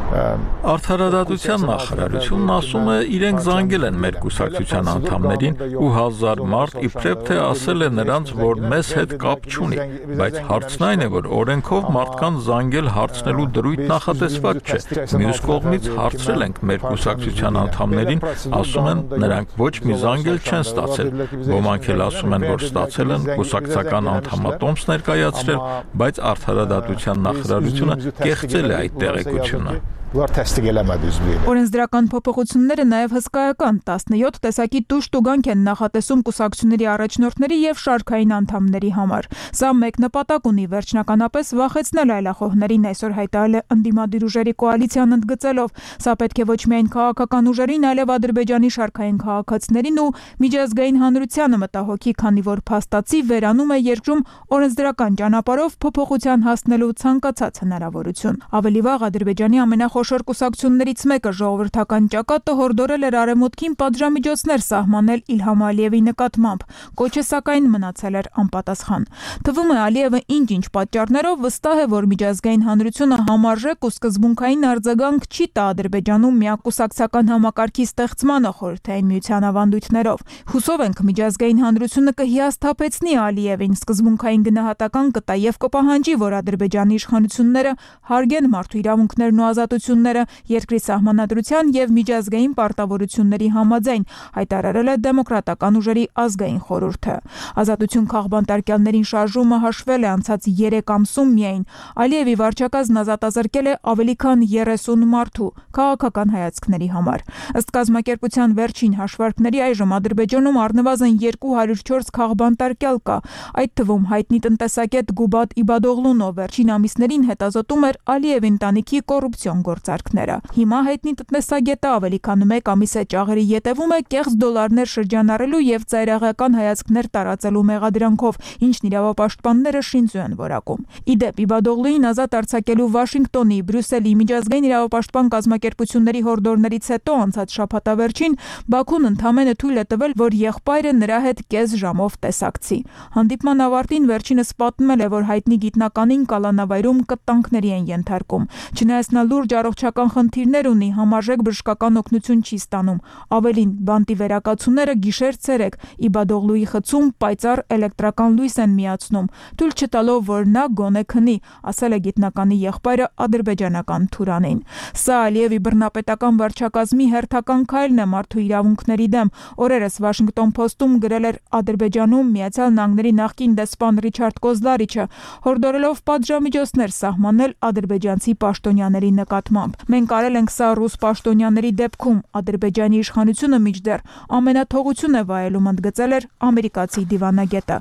Արդարադատության նախարարությունն ասում է, իրենք զանգել են մեր կուսակցության անդամներին ու հազար մարդ իբրև թե ասել է նրանց, որ մեզ հետ կապ չունի, բայց հարցն այն է, որ օրենքով մարդկանց զանգել հարցնելու դրույթ նախատեսված չէ։ Մյուս կողմից հարցրել ենք մեր կուսակցության անդամներին, ասում են, նրանք ոչ մի զանգել չեն ստացել։ Ոմանք էլ ասում են, որ ստացել են կուսակցական անդամատոմս ներկայացրել, բայց Արդարադատության նախարարությունը կեղծել է այդ տեղեկությունը։ Օրենսդրական փոփոխությունները նաև հսկայական տասնյոթ տեսակի տուժ տուգանք են նախատեսում կուսակցությունների առաջնորդների եւ շարքային անդամների համար։ Սա մեկ նպատակ ունի վերջնականապես վախեցնել այլախոհներին, այսօր հայտարարել է ընդդիմադիր ուժերի կոալիցիան ընդգծելով։ Սա պետք է ոչ միայն քաղաքական ուժերին, այլև Ադրբեջանի շարքային քաղաքացիներին ու միջազգային հանրությանը մտահոգի, քանի որ փաստացի վերանում է երկրում օրենսդրական ճանապարհով փոփոխության հասնելու ցանկացած հնարավորություն։ Ավելի վաղ Ադրբեջանի ամենախ խոշոր կուսակցություններից մեկը ժողովրդական ճակատը հորդորել էր արևմուտքին պատժամիջոցներ սահմանել Իլհամ Ալիևի նկատմամբ, կոչը սակայն մնացել էր անպատասխան։ Թվում է Ալիևը ինչ-ինչ պատճառներով վստահ է, որ միջազգային հանրությունը համարժեք ու սկզբունքային արձագանք չի տա Ադրբեջանում միակուսակցական համակարգի ստեղծմանը խորհրդային միության ավանդույթներով։ Հուսով ենք միջազգային հանրությունը կհիասթափեցնի Ալիևին, սկզբունքային գնահատական կտա եւ կպահանջի, որ Ադրբեջանի իշխանությունները հարգեն մարդու իրավունքներն ու ազատությունները երկրի սահմանադրության եւ միջազգային պարտավորությունների համաձայն, հայտարարել է դեմոկրատական ուժերի ազգային խորհուրդը։ Ազատություն քաղբանտարկյալներին շարժումը հաշվել է անցած երեք ամսում միայն։ Ալիևի վարչակազմն ազատազրկել է ավելի քան երեսուն մարդու քաղաքական հայացքների համար։ Ըստ կազմակերպության վերջին հաշվարկների այժմ Ադրբեջանում առնվազն երկու հարյուր չորս քաղբանտարկյալ կա, այդ թվում հայտնի տնտեսագետ Գուբատ Իբադօղլուն, ով վերջին ամիսներին հետազոտում էր Ալիևի ընտանիքի կոռուպցիոն գործարքները։ Հիմա հայտնի տնտեսագետը ավելի քան մեկ ամիս է ճաղերի ետևում է կեղծ դոլարներ շրջանառելու եւ ծայրահեղական հայացքներ տարածելու մեղադրանքով, ինչն իրավապաշտպանները շինծու են որակում։ Իդեպ Իբադօղլուին ազատ արձակելու Վաշինգտոնի, Բրյուսելի միջազգային իրավապաշտպան կազմակերպությունների հորդորներից հետո անցած շաբաթավերջին Բաքուն ընդամենը թույլ է տվել, որ եղբայրը նրա հետ կես ժամով տեսակցի։ Հանդիպման ավարտին վերջինս պատմել է, որ հայտնի գիտնականին կալանավայրում կտանքների են ենթարկում։ Չնայած նա լուրջ առողջական խնդիրներ ունի, համարժեք բժշկական օգնություն չի ստանում։ Ավելին, բանտի վերակացուները գիշեր-ցերեկ Իբադօղլուի խցում պայծառ էլեկտրական լույս են միացնում, թույլ չտալով, որ նա գոնե քնի, ասել է գիտնականի եղբայրը ադրբեջանական թուրանին։ Սա Ալիևի բռնապետական վարչակազմի հերթական քայլն է մարդու իրավունքների դեմ։ Օրերս Washington Post-ում գրել էր Ադրբեջանում Միացյալ Նահանգների նախկին դեսպան Ռիչարդ Կոզլարիչը, հորդորելով պատժամիջոցներ սահմանել ադրբեջանցի պաշտոնյաների նկատմամբ։ Մենք արել ենք սա ռուս պաշտոնյաների դեպքում, Ադրբեջանի իշխանությունը մինչդեռ ամենաթողություն է վայելում, ընդգծել էր ամերիկացի դիվանագետը։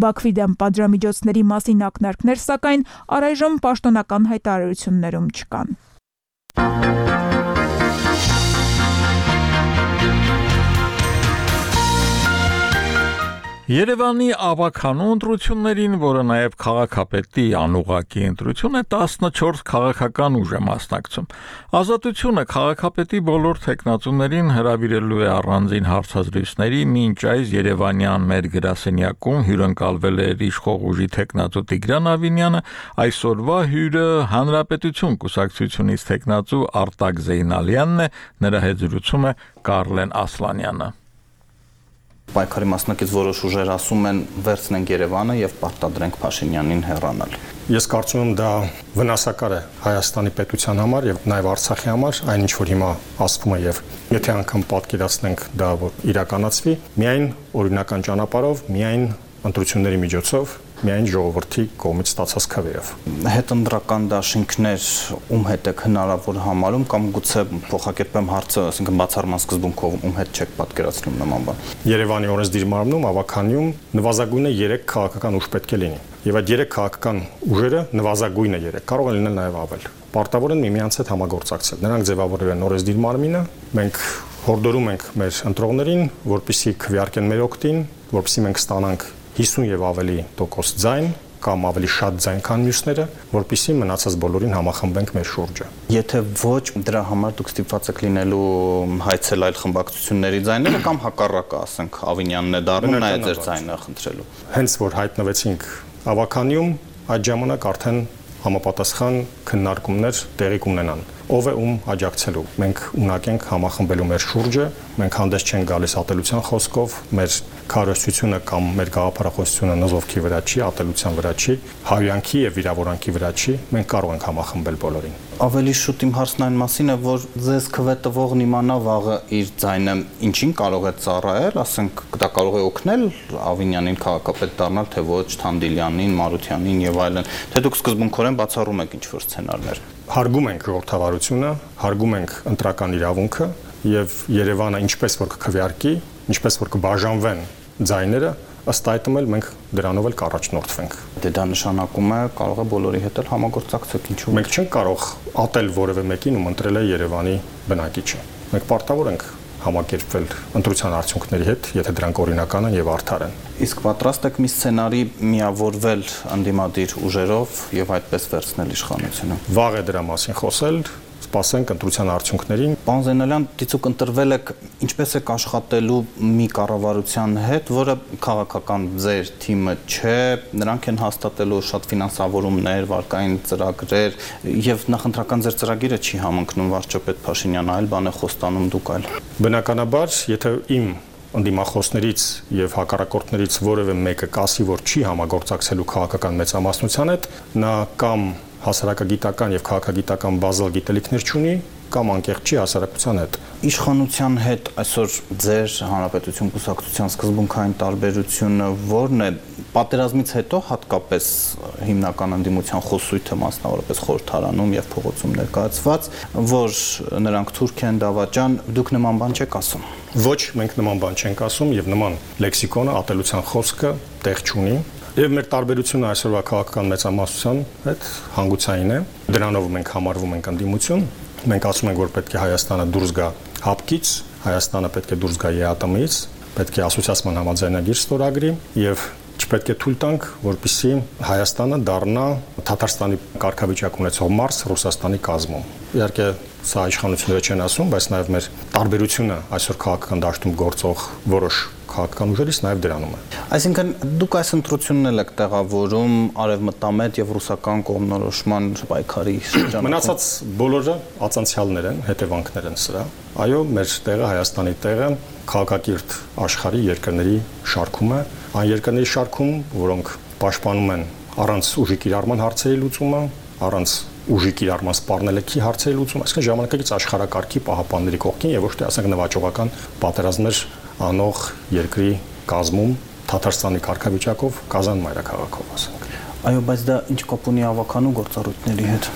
Բաքվի դեմ պատժամիջոցների մասին ակնարկներ, սակայն առայժմ պաշտոնական հայտարարություններում չկան։ Երևանի ավագանու ընտրություններին, որը նաև քաղաքապետի անուղղակի ընտրություն է, տասնչորս քաղաքական ուժ է մասնակցում։ Ազատությունը քաղաքապետի բոլոր թեկնածուներին հրավիրելու է առանձին հարցազրույցների, մինչ այս Երևանյան մեր գրասենյակում հյուրընկալվել է իշխող ուժի թեկնածու Տիգրան Ավինյանը, այսօրվա հյուրը Հանրապետություն կուսակցությունից թեկնածու Արտակ Զեյնալյանն է, նրա հետ զրուցում է Կարլեն Ասլանյանը։ Պայքարի մասնակից որոշ ուժեր ասում են վերցնենք Երևանը եւ պարտադրենք Փաշինյանին հեռանալ։ Ես կարծում եմ դա վնասակար է Հայաստանի պետության համար եւ նաեւ Արցախի համար, այնինչ որ հիմա ասվում է եւ եթե անգամ պատկերացնենք դա որ իրականացվի, միայն օրինական ճանապարհով, միայն ընտրությունների միջոցով, միայն ժողովրդի կողմից ստացած քվեով։ Հետընտրական դաշինքներ ում հետ է հնարավոր համարում կամ գուցե փոխակերպեմ հարցը, ասենք բացառման սկզբունքով ում հետ չեք պատկերացնում նման բան։ Երևանի օրենսդիր մարմնում ավականիում նվազագույնը երեք քաղաքական ուժ պետք է լինի։ Եվ այդ երեք քաղաքական ուժերը նվազագույնը երեք, կարող է լինել նաև ավել։ Պարտավոր են միմյանց հետ համագործակցել։ Նրանք ձևավորել են օրենսդիր մարմինը, մենք հորդորում ենք մեր ընտրողներին, որպեսզի քվեարկեն մեր օգտին, որպեսզի մենք ստանանք հիսուն եւ ավելի տոկոս ձայն կամ ավելի շատ ձայն քան մյուսները, որպեսզի մնացած բոլորին համախմբենք մեր շուրջը։ Եթե ոչ, դրա համար դուք ստիպված եք լինելու հայցել այլ խմբակցությունների ձայները կամ հակառակը, ասենք, Ավինյանն է դառնում, նա է ձեր ձայնը խնդրելու։ Հենց որ հայտնվեցինք ավականիում, այդ ժամանակ արդեն համապատասխան քննարկումներ տեղի կունենան։ Ով է ում աջակցելու։ Մենք ունակ ենք համախմբելու մեր շուրջը, մենք հանդես չենք գալիս ատելության խոսքով, մեր քարոզությունը կամ մեր գաղափարախոսությունը նզովքի վրա չի, ատելության վրա չի, հայյանքի եւ վիրավորանքի վրա չի, մենք կարող ենք համախմբել բոլորին։ Ավելի շուտ իմ հարցն այն մասին է, որ ձեզ քվե տվողն իմանա վաղը իր ձայնը ինչին կարող է ծառայել, ասենք դա կարող է օգնել Ավինյանին քաղաքապետ դառնալ, թե ոչ Թանդիլյանին, Մարությանին եւ այլն, թե դուք սկզբունքորեն բացառում եք ինչ-որ սցենարներ։ Հարգում ենք ժողովրդավարությունը, հարգում ենք ընտրական իրավունքը եւ Երևանը ինչպես որ կքվեարկի, ինչպես որ կբաժանվեն ձայները, ըստ այդմ էլ մենք դրանով էլ կառաջնորդվենք։ Դե դա նշանակում է կարող է բոլորի հետ էլ համագործակցել, ինչու՞ մենք չենք կարող ատել որևէ մեկին, ում ընտրել է Երևանի բնակիչը։ Մենք պարտավոր ենք համակերպվել ընտրության արդյունքների հետ, եթե դրանք օրինական են եւ արդար են։ Իսկ պատրաստ եք մի սցենարի միավորվել անդիմադիր ուժերով եւ այդպես վերցնել իշխանությունը։ Վաղ է դրա մասին խոսել, սպասենք ընտրության արդյունքներին։ Պարոն Զեյնալյան, դիցուք ընտրվել եք, ինչպես եք աշխատելու մի կառավարության հետ, որը քաղաքական ձեր թիմը չէ, նրանք են հաստատելու շատ ֆինանսավորումներ, վարկային ծրագրեր, եւ նախընտրական ձեր ծրագիրը չի համընկնում վարչապետ Փաշինյանը, այլ բան է խոստանում, դուք այլ։ Բնականաբար, եթե իմ ընդդիմախոսներից եւ հակառակորդներից որևէ մեկը կասի, որ չի համագործակցելու քաղաքական մեծամասնության հետ, նա կամ հասարակագիտական եւ քաղաքագիտական բազալ գիտելիքներ չունի, կամ անկեղծ չի հասարակության հետ։ Իշխանության հետ այսօր ձեր հանրապետություն կուսակցության սկզբունքային տարբերությունը ո՞րն է։ Պատերազմից հետո հատկապես հիմնական ընդդիմության խոսույթը մասնավորապես խորհրդարանում եւ փողոցում ներկայացված, որ նրանք թուրք են, դավաճան, դուք նման բան չեք ասում։ Ոչ, մենք նման բան չենք ասում եւ նման լեքսիկոնը, ատելության խոսքը տեղ չունի։ Եվ մեր տարբերությունը այսօրվա քաղաքական մեծամասնության հետ հանգուցային է։ Դրանով մենք համարվում ենք ընդդիմություն։ Մենք ասում ենք, որ պետք է Հայաստանը դուրս գա հապկից, Հայաստանը պետք է դուրս գա ԵԱՏՄ-ից, պետք է ասոցիացիան համաձայնագիր ստորագրի եւ չպետք է թույլ տանք, որպեսզի Հայաստանը դառնա Թաթարստանի կարգավիճակ ունեցող մարզ Ռուսաստանի կազմում։ Իհարկե, սա իշխանությունները չեն ասում, բայց նաեւ մեր տարբերությունը այսօր քաղաքական դաշտում գործող որոշ քաղաքական ուժերից նաեւ դրանում է։ Այսինքն դուք այս ընտրությունն եք տեղավորում արևմտամետ եւ ռուսական կողմնորոշման պայքարի շրջանում։ Մնացած բոլորը ածանցյալներ են, հետևանքներ են սրա։ Այո, մեր տեղը, Հայաստանի տեղը քաղաքակիրթ աշխարհի երկրների շարքում է, այն երկրների շարքում, որոնք պաշտպանում են առանց ուժի կիրառման հարցերի լուծումը, առանց ուժի կիրառման սպառնելիքի հարցերի լուծումը, այսինքն ժամանակակից աշխարհակարգի պահապանների կողքին եւ ոչ թե ասենք նվաճողական պատերազմներ անող երկրի կազմում Թաթարստանի կարգավիճակով Կազան մայրաքաղաքով ասենք։ Այո, բայց դա ինչ կապ ունի ավականու գործառույթների հետ։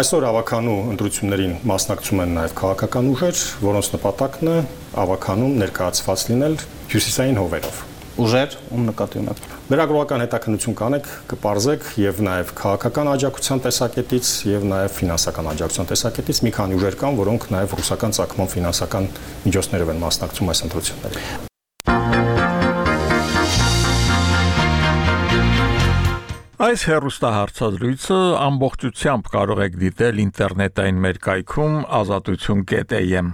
Այսօր ավականու ընտրություններին մասնակցում են նաև քաղաքական ուժեր, որոնց նպատակն է ավականում ներկայացված լինել հյուսիսային հովերով։ Ուժեր ում նկատի ունեք։ Լրագրողական հետաքննություն կանեք, կպարզեք եւ նաեւ քաղաքական աջակցության տեսակետից եւ նաեւ ֆինանսական աջակցության տեսակետից մի քանի ուժեր կան, որոնք նաեւ ռուսական ցակման ֆինանսական միջոցներով են մասնակցում այս ընտրություններին։ Այս հեռուստահարցազրույցը ամբողջությամբ կարող եք դիտել ինտերնետային մեր կայքում ազատություն կետ էյ էմ։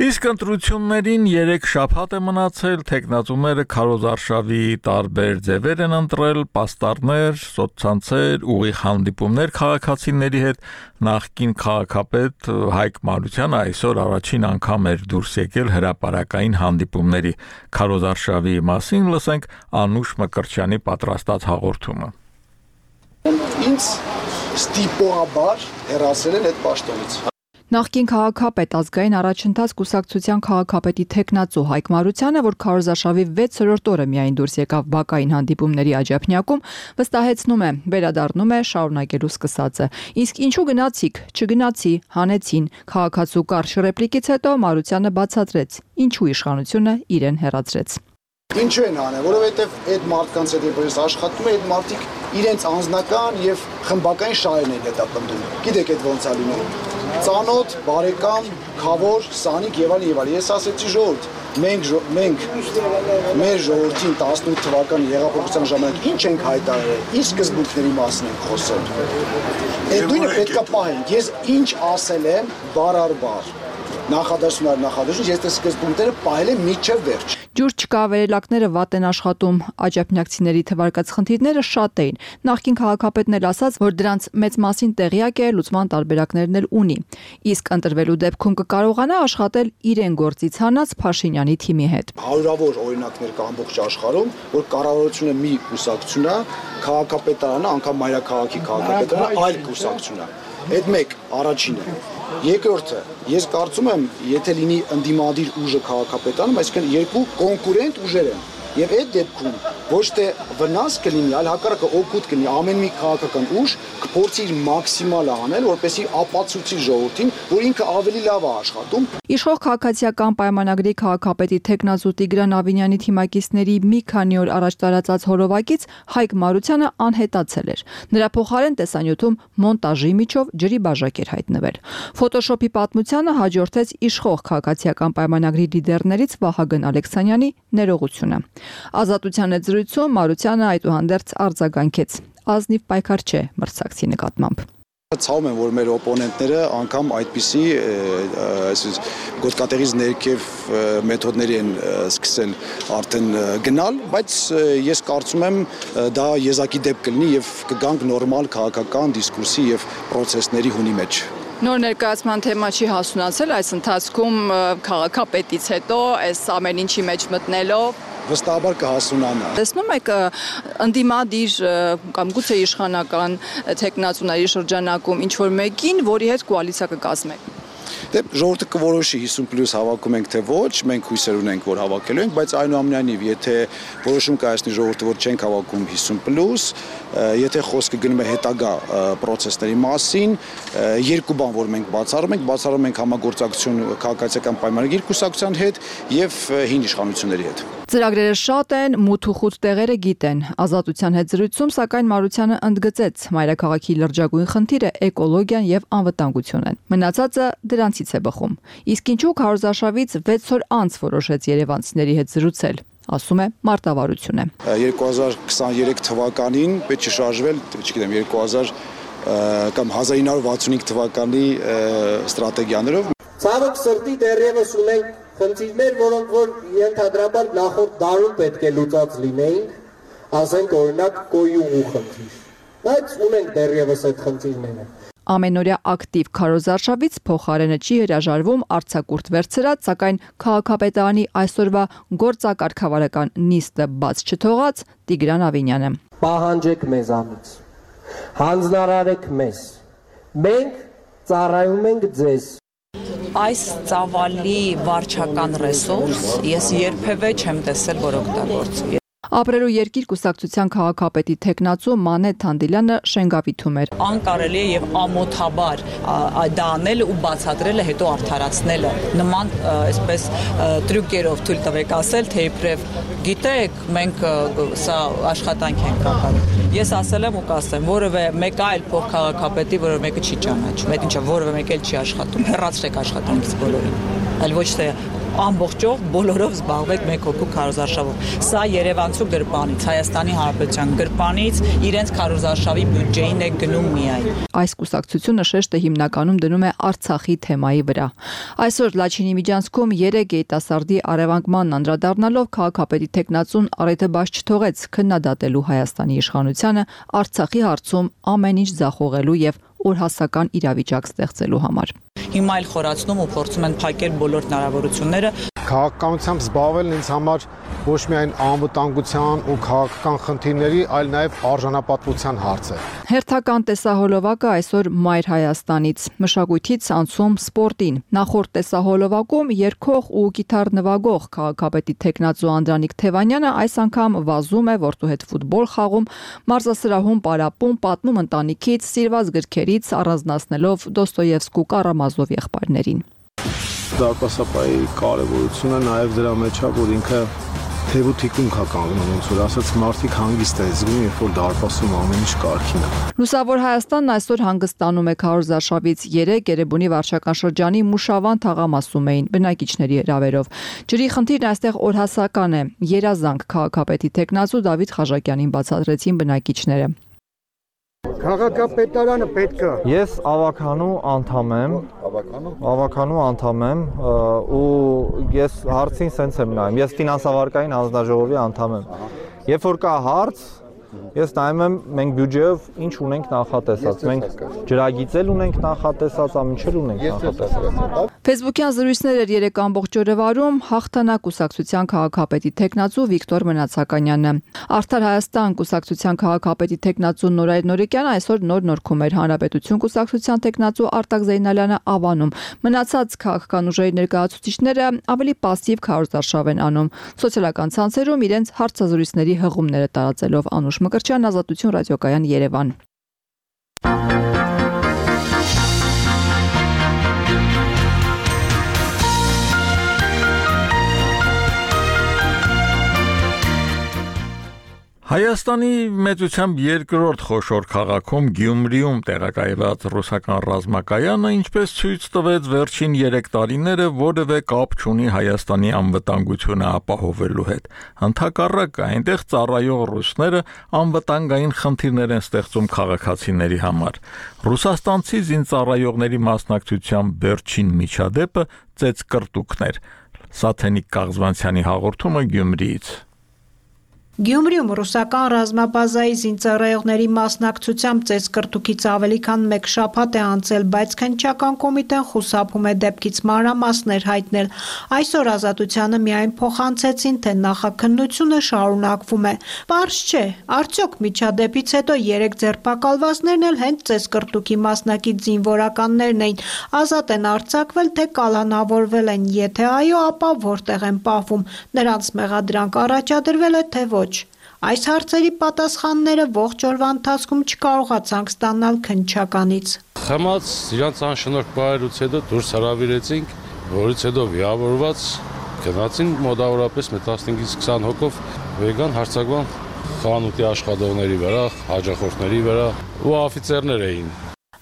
Իսկ ընտրություններին երեք շաբաթ է մնացել, տեխնատուները քարոզարշավի տարբեր ձևեր են ընտրել, պաստառներ, սոցցանցեր, ուղիղ հանդիպումներ քաղաքացիների հետ, նախկին քաղաքապետ Հայկ Մարությանը այսօր առաջին անգամ էր դուրս եկել հրապարակային հանդիպումների։ Քարոզարշավի մասին լսենք Անուշ Մկրտչյանի պատրաստած հաղորդումը։ Ինձ ստիպողաբար հեռացել են այդ պաշտոնից։ Նախկին քաղաքապետ ազգային առաջընթաց կուսակցության քաղաքապետի տեխնացու Հայկ Մարությանը, որ քարոզարշավի վեցերորդ օրը միայն դուրս եկավ բակային հանդիպումների աջափնյակում, վստահեցնում է, վերադառնում է շարունակելու սկսածը։ Իսկ ինչու գնացիք, չգնացի, հանեցին։ Քաղաքացու կարճ ռեպլիկից հետո Մարությանը բացատրեց, ինչու իշխանությունը իրեն հեռացրեց։ Ինչու են անել, որովհետև այդ մարդկանց հետ երբ աշխատում է, այդ մարդիկ իրենց անձնական եւ խմբական շահերն են հետապնդում։ Գիտեք այդ ոնց է լինում։ Ծանոթ, բարեկամ, խավոր, սանիկ եւ այլն եւ այլն։ Ես ասեցի ժողովուրդ, մենք մենք մեր ժողովրդին տասնութ թվականի հեղափոխության ժամանակ ինչ ենք հայտարարել, ինչ սկզբունքների մասին ենք խոսել։ Այդ նույնը պետքա պահենք։ Ես ինչ ասել եմ բար առ բար։ Նախադասություն առ նախադասություն, ես այս սկզբունքները պահել եմ մինչև վերջ։ Ջուր չկա, վերելակները վատ են աշխատում, աջափնյակցիների թվարկած խնդիրները շատ էին։ Նախկին քաղաքապետն էլ ասաց, որ դրանց մեծ մասին տեղյակ է, լուծման տարբերակներն էլ ունի։ Իսկ ընտրվելու դեպքում կկարողանա աշխատել իրեն գործից հանած Փաշինյանի թիմի հետ։ Հարյուրավոր օրինակներ կա ամբողջ աշխարհում, որ կառավարությունը մի կուսակցություն է, քաղաքապետարանը, անգամ մայրաքաղաքի քաղաքապետարանը այլ կուսակցություն է։ Այդ մեկ առաջինը։ Երկրորդը, ես կարծում եմ, եթե լինի ընդդիմադիր ուժը քաղաքապետարանում, այսինքն երկու կոնկուրենտ ուժեր են։ Եվ այդ դեպքում ոչ թե վնաս կլինի, այլ հակառակը օգուտ կլինի ամեն մի քաղաքական ուժ կփորձի իր մաքսիմալը անել, որպեսզի ապացուցի ժողովրդին, որ ինքը ավելի լավ է աշխատում։ Իշխող քաղաքացիական պայմանագրի քաղաքապետի տեխնացու Տիգրան Ավինյանի թիմակիցների մի քանի օր առաջ տարածած հոլովակից Հայկ Մարությանը անհետացել էր։ Նրա փոխարեն տեսանյութում մոնտաժի միջով ջրի բաժակ էր հայտնվել։ Ֆոտոշոփի պատմությանը հաջորդեց իշխող քաղաքացիական պայմանագրի լիդերներից Վահագն Ալեքսանյանի ներողությունը։ Ազատության հետ զրույցում Մարությանը այդուհանդերձ արձագանքեց. ազնիվ պայքար չէ մրցակցի նկատմամբ։ Ցավում եմ, որ մեր օպոնենտները անգամ այդպիսի այսպես գոտկատեղից ներքև մեթոդների են սկսել արդեն գնալ, բայց ես կարծում եմ դա եզակի դեպք կլինի եւ կգանք նորմալ քաղաքական դիսկուրսի եւ պրոցեսների հունի մեջ։ Նոր ներկայացման թեմա չի հասունացել այս ընթացքում քաղաքապետից հետո այս ամեն ինչի մեջ մտնելով վստահաբար կհասունանա։ Տեսնում եք ընդդիմադիր կամ գուցե իշխանական թեկնածուների շրջանակում ինչ որ մեկին, որի հետ կոալիցիա կկազմեք։ Դե ժողովուրդը կորոշի հիսուն պլյուս հավաքում ենք թե ոչ, մենք հույսեր ունենք, որ հավաքելու ենք, բայց այնուամենայնիվ, եթե որոշում կայացնի ժողովուրդը, որ չենք հավաքում հիսուն պլյուս, եթե խոսքը գնում է հետագա պրոցեսների մասին, երկու բան, որ մենք բացառում ենք, բացառում ենք համագործակցություն քաղաքացիական պայմանագիր կուսակցության հետ եւ հին իշխանությունների հետ։ Ծրագրերը շատ են, մութ ու խուտ տեղերը գիտեն։ Ազատության հետ զրույցում, սակայն Մարությանը ընդգծեց, մայրաքաղաքի լրջագույն խնդիրը էկոլոգիան եւ անվտանգությունն են։ Մնացածը դրանցից է բխում։ Իսկ ինչու քարոզարշավից վեց օր անց որոշեց երևանցիների հետ զրուցել, ասում է մարտավարությունը։ երկու հազար քսաներեք թվականին պետք է շարժվել, չգիտեմ, երկու հազար կամ հազար ինը հարյուր վաթսունհինգ թվականի ստրատեգիաներով։ Ցավոք սրտի դեռևս ունենք խնդիրներ, որոնք որ ենթադրաբար նախորդ դարում պետք է լուծած լինեին, ասենք օրինակ կոյուղու խնդիր։ Բայց ունենք դեռևս այդ խնդիրները։ Ամենօրյա ակտիվ քարոզարշավից փոխարենը չի հրաժարվում արձակուրդ վերցրած, սակայն քաղաքապետարանի այսօրվա գործակարգավարական նիստը բաց չթողած Տիգրան Ավինյանը։ Պահանջեք մեզանից, հանձնարարեք մեզ, մենք ծառայում ենք ձեզ։ Այս ծավալի վարչական ռեսուրս ես երբևէ չեմ տեսել, որ օգտագործվի։ Ապրելու երկիր կուսակցության քաղաքապետի թեկնածու Մանե Թանդիլյանը շենգավիթում էր։ Անկարելի է եւ ամոթաբար դա անելը ու բացատրելը հետո արդարացնելը նման այսպես տրյուկերով թույլ տվեք ասել, թե իբրև գիտեք, մենք սա աշխատանք ենք կատարում։ Ես ասել եմ ու կասեմ, որևէ մեկ այլ փոխքաղաքապետի, որևէ մեկը չի ճանաչում, այդ ինչը որևէ մեկ էլ չի աշխատում, հեռացրեք աշխատանքից բոլորին, այլ ոչ թե ամբողջով բոլորով զբաղվեք մեկ հոգու քարոզարշավով։ Սա Երևանցու գրպանից, Հայաստանի Հանրապետության գրպանից իրենց քարոզարշավի բյուջեին է գնում միայն։ Այս կուսակցությունը շեշտը հիմնականում դնում է Արցախի թեմայի վրա։ Այսօր Լաչինի միջանցքում երեք երիտասարդի առևանգման անդրադառնալով քաղաքապետի թեկնածուն առիթը բաց չթողեց քննադատելու Հայաստանի իշխանությանը Արցախի հարցում ամեն ինչ ձախողելու եւ օրհասական իրավիճակ ստեղծելու համար։ Հիմա էլ խորացնում ու փորձում են փակել բոլոր հնարավորությունները։ Քաղաքականությամբ զբաղվելն ինձ համար ոչ միայն անվտանգության ու քաղաքական խնդիրների, այլ նաև արժանապատվության հարց է։ Հերթական տեսահոլովակը այսօր Մայր Հայաստանից, մշակույթից անցում սպորտին։ Նախորդ տեսահոլովակում երգող ու գիտար նվագող քաղաքապետի թեկնածու Անդրանիկ Թևանյանը այս անգամ վազում է որդու հետ ֆուտբոլ խաղում, մարզասրահում պարապում, պատմում ընտանիքից, սիրված գրքերից, առանձնացնելով Դոստոևսկու Կարամազով եղբայրներին։ Դարպասապայի կարևորությունը նաև դրա մեջ է, որ ինքը թեև ու թիկունք է կանգնում, ոնց որ ասած մարդիկ հանգիստ է զգում, երբ որ դարպասում ամեն ինչ կարգին է։ Լուսավոր Հայաստանն այսօր հանգստանում է քարոզարշավից երեք Երևանի վարչական շրջանի Մուշավան թաղամասում էին բնակիչների հրավերով։ Ջրի խնդիրն այստեղ օրհասական է։ Երազանք քաղաքապետի թեկնածու Դավիթ Խաչատյանին բացատրեցին բնակիչները։ Քաղաքապետարանը պետք է։ Ես ավականու անդամ եմ, ավականու անդամ եմ ու ես հարցին սենց եմ նայում, ես ֆինանսավարկային հանձնաժողովի անդամ եմ, երբ որ կա հարց, ես նայում եմ մենք բյուջեով ինչ ունենք նախատեսած, մենք ջրագիծ ունենք նախատեսած, ամեն ինչ ունենք նախատեսած։ Facebook-յան զրույցներ էր երեք ամբողջ օրը վարում հաղթանակ կուսակցության քաղաքապետի թեկնածու Վիկտոր Մնացականյանը։ Արդար Հայաստան կուսակցության քաղաքապետի թեկնածու Նորայր Նորեկյանը այսօր նոր նորքում էր Հանրապետություն կուսակցության թեկնածու Արտակ Զեյնալյանը Ավանում։ Մնացած քաղաքական ուժերի ներկայացուցիչները ավելի пассив քարոզարշավ են անում։ Սոցիալական ցանցերում իրենց հարցազրույցների հղումները տարածելով Անուշ Մկրտչյան, Ազատություն ռադիոկայան, Երևան։ Հայաստանի մեծությամբ երկրորդ խոշոր քաղաքում Գյումրիում տեղակայված ռուսական ռազմակայանը ինչպես ցույց տվեց վերջին երեք տարիները որևէ կապ չունի Հայաստանի անվտանգությունը ապահովելու հետ։ Հնդակառակը այնտեղ ծառայող ռուսները անվտանգային խնդիրներ են ստեղծում քաղաքացիների համար։ Ռուսաստանցի զինծառայողների մասնակցությամբ վերջին միջադեպը ծեծկռտուքներ։ Սաթենիկ Կաղզվանցյանի հաղորդումը Գյումրիից։ Գյումրիում ռուսական ռազմաբազայի զինծառայողների մասնակցությամբ ծեծկռտուքից ավելի քան մեկ շաբաթ է անցել, բայց քննչական կոմիտեն խուսափում է դեպքից մանրամասներ հայտնել։ Այսօր Ազատությանը միայն փոխանցեցին, թե նախաքննությունը շարունակվում է։ Պարզ չէ, արդյոք միջադեպից հետո երեք ձերբակալվածներն էլ հենց ծեծկռտուքի մասնակից զինվորականներն էին, ազատ են արձակվել, թե կալանավորվել են, եթե այո, ապա որտեղ են պահվում, նրանց մեղադրանք առաջադրվել է, թե ոչ։ Այս հարցերի պատասխանները ողջ օրվա ընթացքում չկարողացանք ստանալ քննչականից։ Խմած իրանց անշնորհք բարերուց հետո դուրս հրավիրեցինք, որից հետո վիավորված գնացին մոտավորապես տասնհինգից քսան հոգով վեգան հարցակման խանութի աշխատողների վրա, հաճախորդների վրա ու օֆիցերներ էին։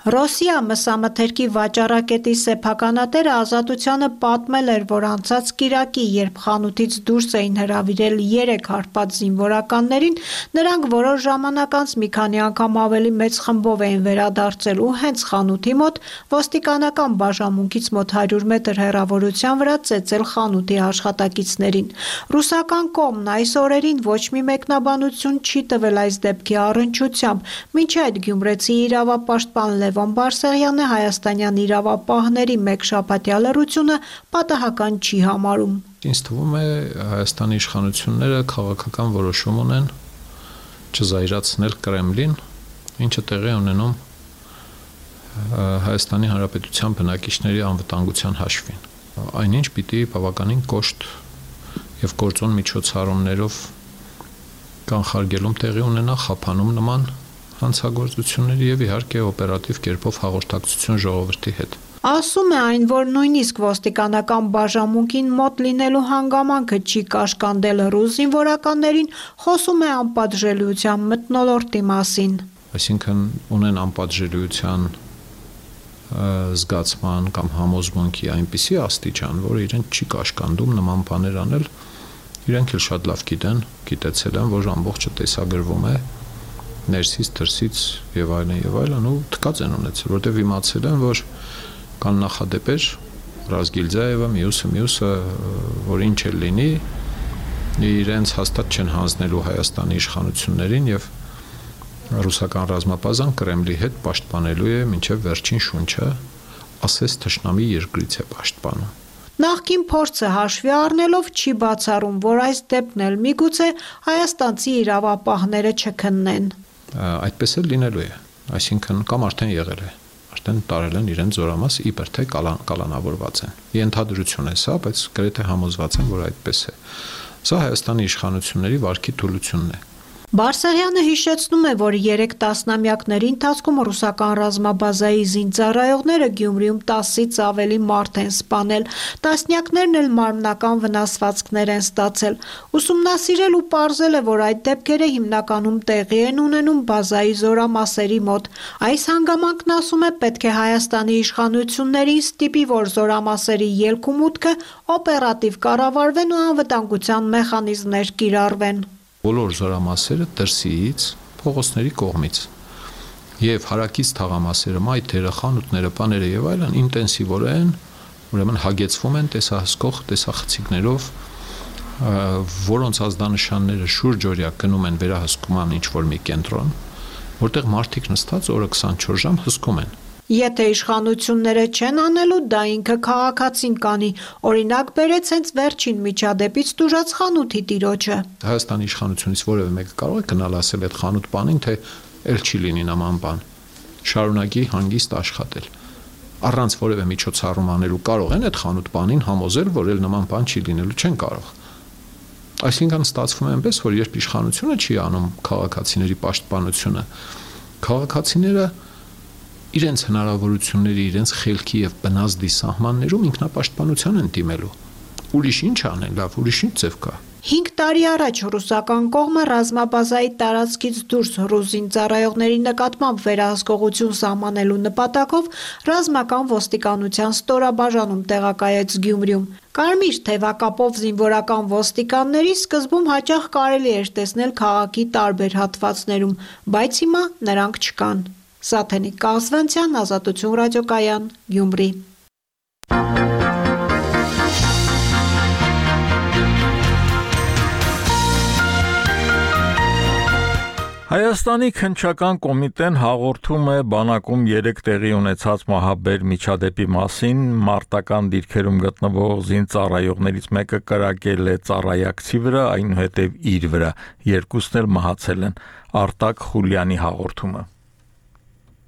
Ռոսիա մսամթերքի վաճառակետի սեփականատերը Ազատությանը պատմել էր, որ անցած կիրակի, երբ խանութից դուրս էին հրավիրել երեք հարբած զինվորականներին, նրանք որոշ ժամանակ անց մի քանի անգամ ավելի մեծ խմբով էին վերադարձել ու հենց խանութի մոտ ոստիկանական բաժանմունքից մոտ հարյուր մետր հեռավորության վրա ծեծել խանութի աշխատակիցներին։ Ռուսական կողմն այս օրերին ոչ մի մեկնաբանություն չի տվել այս դեպքի առնչությամբ, մինչ այդ գյումրեցի իրավապաշտպան Լևոն Բարսեղյանը հայաստանյան իրավապահների մեկ շաբաթյա լռությունը պատահական չի համարում։ Ինձ թվում է Հայաստանի իշխանությունները քաղաքական որոշում ունեն չզայրացնել Կրեմլին, ինչը տեղի ունենում Հայաստանի Հանրապետության բնակիչների անվտանգության հաշվին։ Այնինչ պիտի բավականին կոշտ եւ գործոն միջոցառումներով կանխարգելում տեղի ունենա խափանում նման հանցագործությունների եւ իհարկե օպերատիվ կերպով հաղորդակցություն ժողովրդի հետ։ Ասում է այն, որ նույնիսկ ոստիկանական բաժանմունքին մոտ լինելու հանգամանքը չի կաշկանդել ռուս զինվորականներին, խոսում է անպատժելիության մթնոլորտի մասին։ Այսինքն ունեն անպատժելիության զգացման կամ համոզմունքի այնպիսի աստիճան, որ իրեն չի կաշկանդում նման բաներ անել, իրենք էլ շատ լավ գիտեն, գիտեցել են, որ ամբողջը տեսագրվում է ներսից, դրսից եւ այլն եւ այլն ու թքած են ունեցել, որտեւ իմացել են, որ կան նախադեպեր Ռազգիլձաևը, մյուսը, մյուսը, որ ինչ էլ լինի, իրենց հաստատ չեն հանձնելու Հայաստանի իշխանություններին եւ ռուսական ռազմապազան Կրեմլի հետ պաշտպանելու է մինչեւ վերջին շունչը, ասես թշնամի երկրից է պաշտպանում։ Նախկին փորձը հաշվի առնելով չի բացառում, որ այս դեպքն էլ միգուցե հայաստանցի իրավապահները չքննեն։ Այդպես էլ լինելու է, այսինքն կամ արդեն եղել է, արդեն տարել են իրենց զորամաս իբր թե կալանավորված են։ Ենթադրություն է սա, բայց գրեթե համոզված եմ, որ այդպես է։ Սա Հայաստանի իշխանությունների վարքի թուլությունն է։ Բարսեղյանը հիշեցնում է, որ երեք տասնամյակների ընթացքում ռուսական ռազմաբազայի զինծառայողները Գյումրիում տասից ավելի մարդ են սպանել, տասնյակներն էլ մարմնական վնասվածքներ են ստացել։ Ուսումնասիրել ու պարզել է, որ այդ դեպքերը հիմնականում տեղի են ունենում բազայի զորամասերի մոտ։ Այս հանգամանքն, ասում է, պետք է Հայաստանի իշխանություններին ստիպի, որ զորամասերի ելք ու մուտքը օպերատիվ կառավարվեն ու անվտանգության մեխանիզմներ կիրառվեն։ Բոլոր զորամասերը դրսից, փողոցների կողմից եւ հարակից թաղամասերը, մայթերը, խանութները, բաները եւ այլն ինտենսիվորեն, ուրեմն հագեցվում են տեսահսկող տեսախցիկներով, որոնց ազդանշանները շուրջօրյա գնում են վերահսկման ինչ-որ մի կենտրոն, որտեղ մարդիկ նստած օրը քսանչորս ժամ հսկում են։ Եթե իշխանությունները չեն անելու, դա ինքը քաղաքացին կանի, օրինակ բերեց հենց վերջին միջադեպից տուժած խանութի տիրոջը։ Հայաստանի իշխանությունից որևէ մեկը կարող է գնալ ասել այդ խանութ բանին, թե ել չի լինի նման բան։ Շարունակի հանգիստ աշխատել։ Առանց որևէ միջոցառում անելու կարող են այդ խանութ բանին համոզել, որ ել նման բան չի լինելու, չեն կարող։ Այսինքն ստացվում է այնպես, որ երբ իշխանությունը չի անում քաղաքացիների պաշտպանությունը, քաղաքացիները իրենց հնարավորությունների, իրենց խելքի եւ բնազդի սահմաններում ինքնապաշտպանության են դիմելու։ ուրիշ ինչ անեն, լավ, ուրիշ ինչ ձև կա։ հինգ տարի առաջ ռուսական կողմը ռազմաբազայի տարածքից դուրս ռուս զինծառայողների նկատմամբ վերահսկողություն սահմանելու նպատակով ռազմական ոստիկանության ստորաբաժանում տեղակայեց Գյումրիում։ Կարմիր թևակապով զինվորական ոստիկանների սկզբում հաճախ կարելի էր տեսնել քաղաքի տարբեր հատվածներում, բայց հիմա նրանք չկան։ Սաթենիկ Կազվանցյան, Ազատություն ռադիոկայան, Գյումրի։ Հայաստանի քննչական կոմիտեն հաղորդում է բանակում երեք տեղի ունեցած մահաբեր միջադեպի մասին, մարտական դիրքերում գտնվող զինծառայողներից մեկը կրակել է ծառայակցի վրա, այնուհետև իր վրա, երկուսն էլ մահացել են։ Արտակ Խուլյանի հաղորդումը։